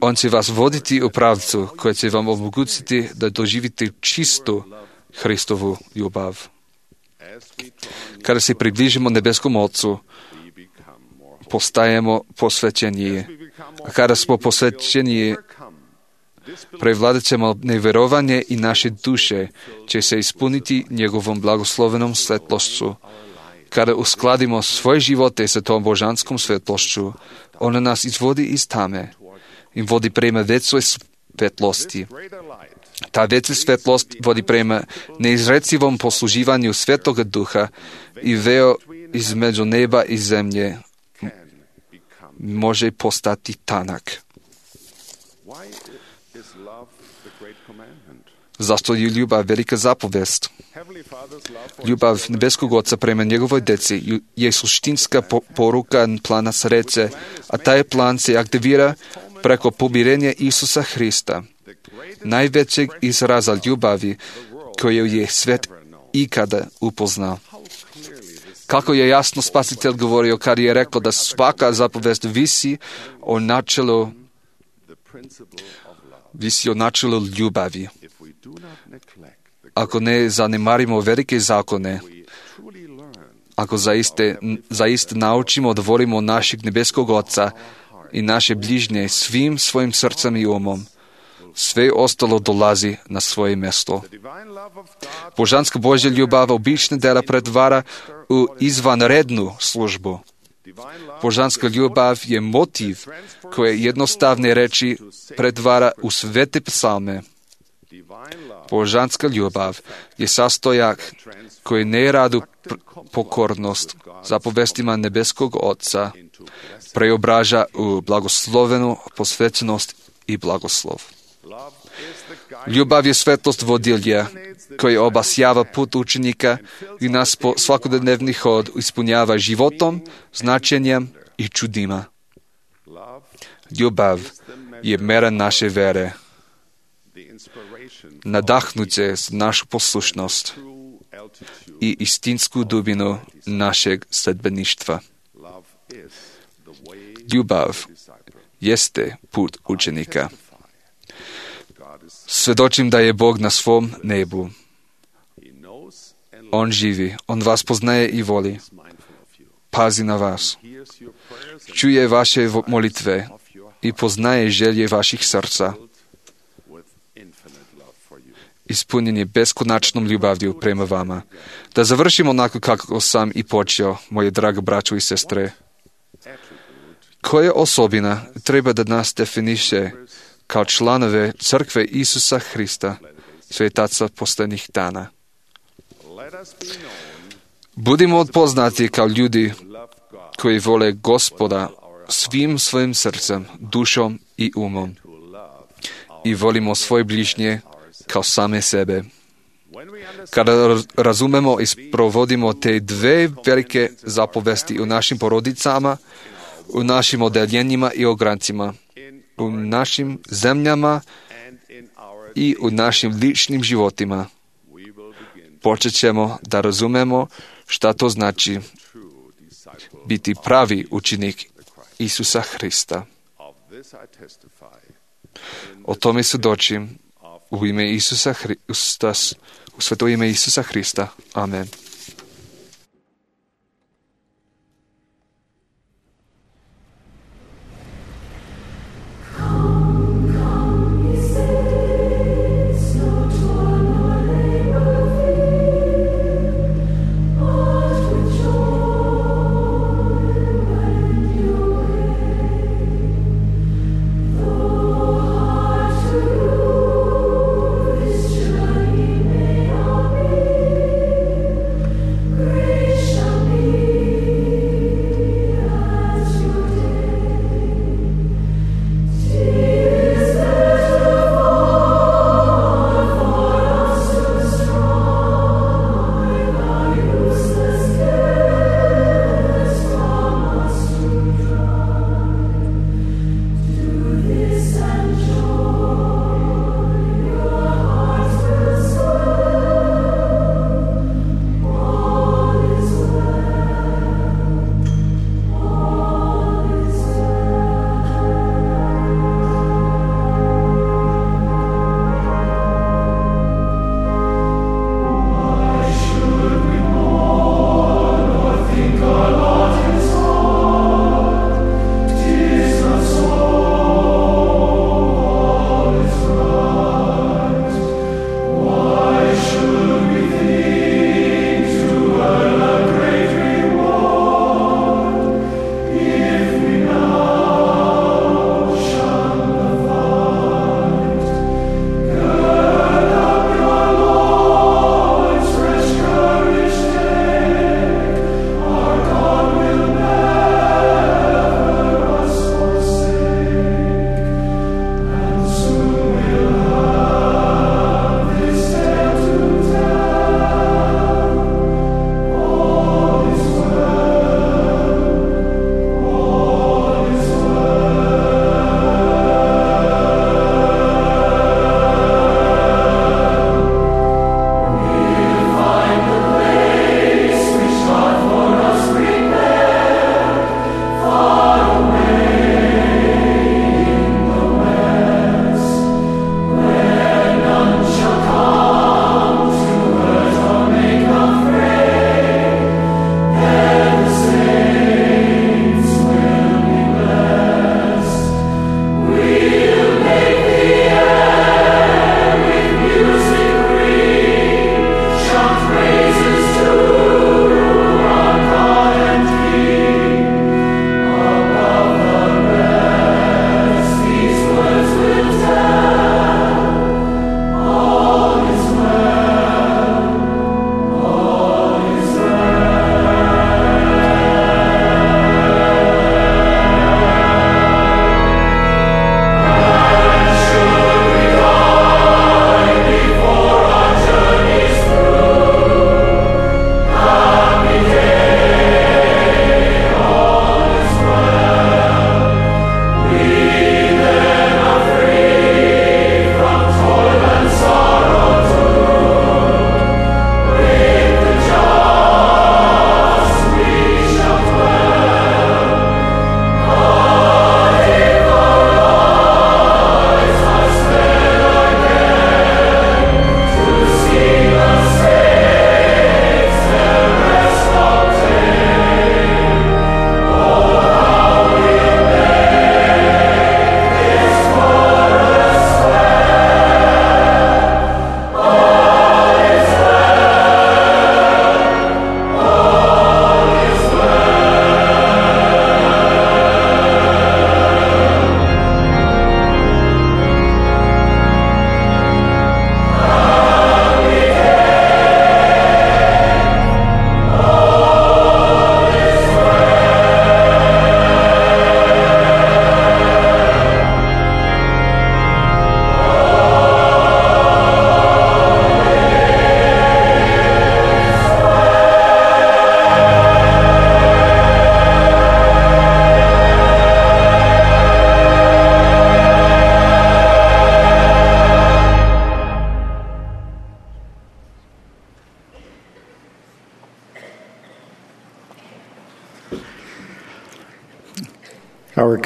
on će vas voditi u pravcu koji će vam omogućiti da doživite čistu Hristovu ljubav. Kada se približimo nebeskom Otcu, postajemo posvećeniji. A kada smo posvećeniji, prevladat ćemo nevjerovanje i naše duše će se ispuniti njegovom blagoslovenom svetlošću. Kada uskladimo svoje živote sa tom božanskom svetlošću, ona nas izvodi iz tame i vodi prema većoj svetlosti. Ta veća svetlost vodi prema neizrecivom posluživanju Svetoga Duha i između neba i zemlje može postati tanak. Zašto je ljubav velika zapovest? Ljubav nebeskog Oca prema njegovoj deci je suštinska poruka plana sreće, a taj plan se aktivira preko pomirenja Isusa Hrista, najvećeg izraza ljubavi koju je svet ikada upoznao. Kako je jasno Spasitelj govorio kad je rekao da svaka zapovest visi o načelu ljubavi. Ako ne zanemarimo velike zakone, ako zaista naučimo da volimo našeg nebeskog Oca i naše bližnje svim svojim srcem i umom, sve ostalo dolazi na svoje mjesto. Božanska Božja ljubav obične dela pretvara u izvanrednu službu. Božanska ljubav je motiv koje jednostavne reči pretvara u svete psalme. Božanska ljubav je sastojak koji ne radu pokornost zapovestima nebeskog Oca preobraža u blagoslovenu posvećenost i blagoslov. Ljubav je svetlost vodilja koji obasjava put učenika i nas po svakodnevni hod ispunjava životom, značenjem i čudima. Ljubav je mera naše vere. Nadahnuće za našu poslušnost i istinsku dubinu našeg sledbeništva. Ljubav jeste put učenika. Svjedočim da je Bog na svom nebu. On živi, On vas poznaje i voli. Pazi na vas. Čuje vaše molitve i poznaje želje vaših srca. Ispunjen je beskonačnom ljubavlju prema vama. Da završimo onako kako sam i počeo, moje drage braćo i sestre. Koja osobina treba da nas definiše kao članove crkve Isusa Hrista, svetaca posljednjih dana? Budimo poznati kao ljudi koji vole Gospoda svim svojim srcem, dušom i umom i volimo svoje bližnje kao same sebe. Kada razumemo i provodimo te dve velike zapovesti u našim porodicama, u našim odeljenjima i ograncima, u našim zemljama i u našim ličnim životima, počet ćemo da razumemo šta to znači biti pravi učenik Isusa Hrista. O tome svjedočim u ime Isusa Hrista, u sveto ime Isusa Hrista. Amen.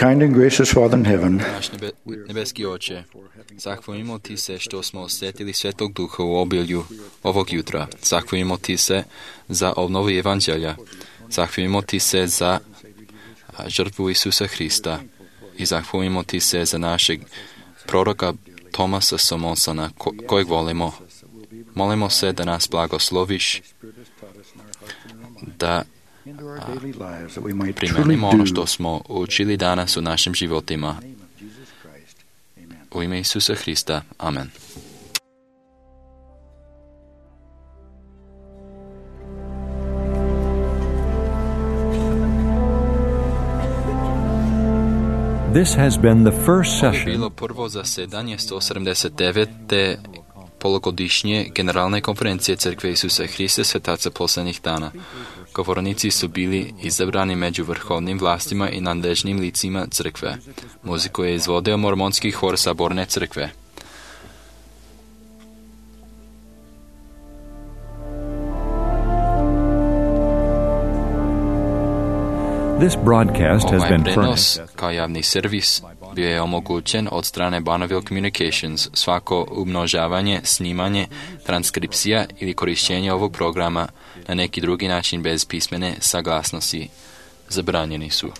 kind and gracious Father in heaven, Naš nebeski Oče, zahvalimo Ti se što smo osjetili Svetog Duha u obilju ovog jutra. Zahvalimo Ti se za obnovu Evanđelja. Zahvalimo Ti se za žrtvu Isusa Hrista. I zahvalimo Ti se za našeg proroka Tomasa Somonsona, kojeg volimo. Molimo se da nas blagosloviš, da primenimo ono što smo učili danas u našim životima. U ime Isusa Hrista. Amen. This has been the first Ovo je session bilo prvo zasedanje 179. polugodišnje Generalne konferencije Crkve Isusa Hrista Svetaca poslednjih dana. Govornici su bili izabrani među vrhovnim vlastima i nadležnim licima crkve. Muziku je izvodio mormonski hor Saborne crkve. This broadcast has Ovaj been prenos furnished. kao javni servis bio je omogućen od strane Bonneville Communications. Svako umnožavanje, snimanje, transkripcija ili korišćenje ovog programa na neki drugi način bez pismene saglasnosti zabranjeni su.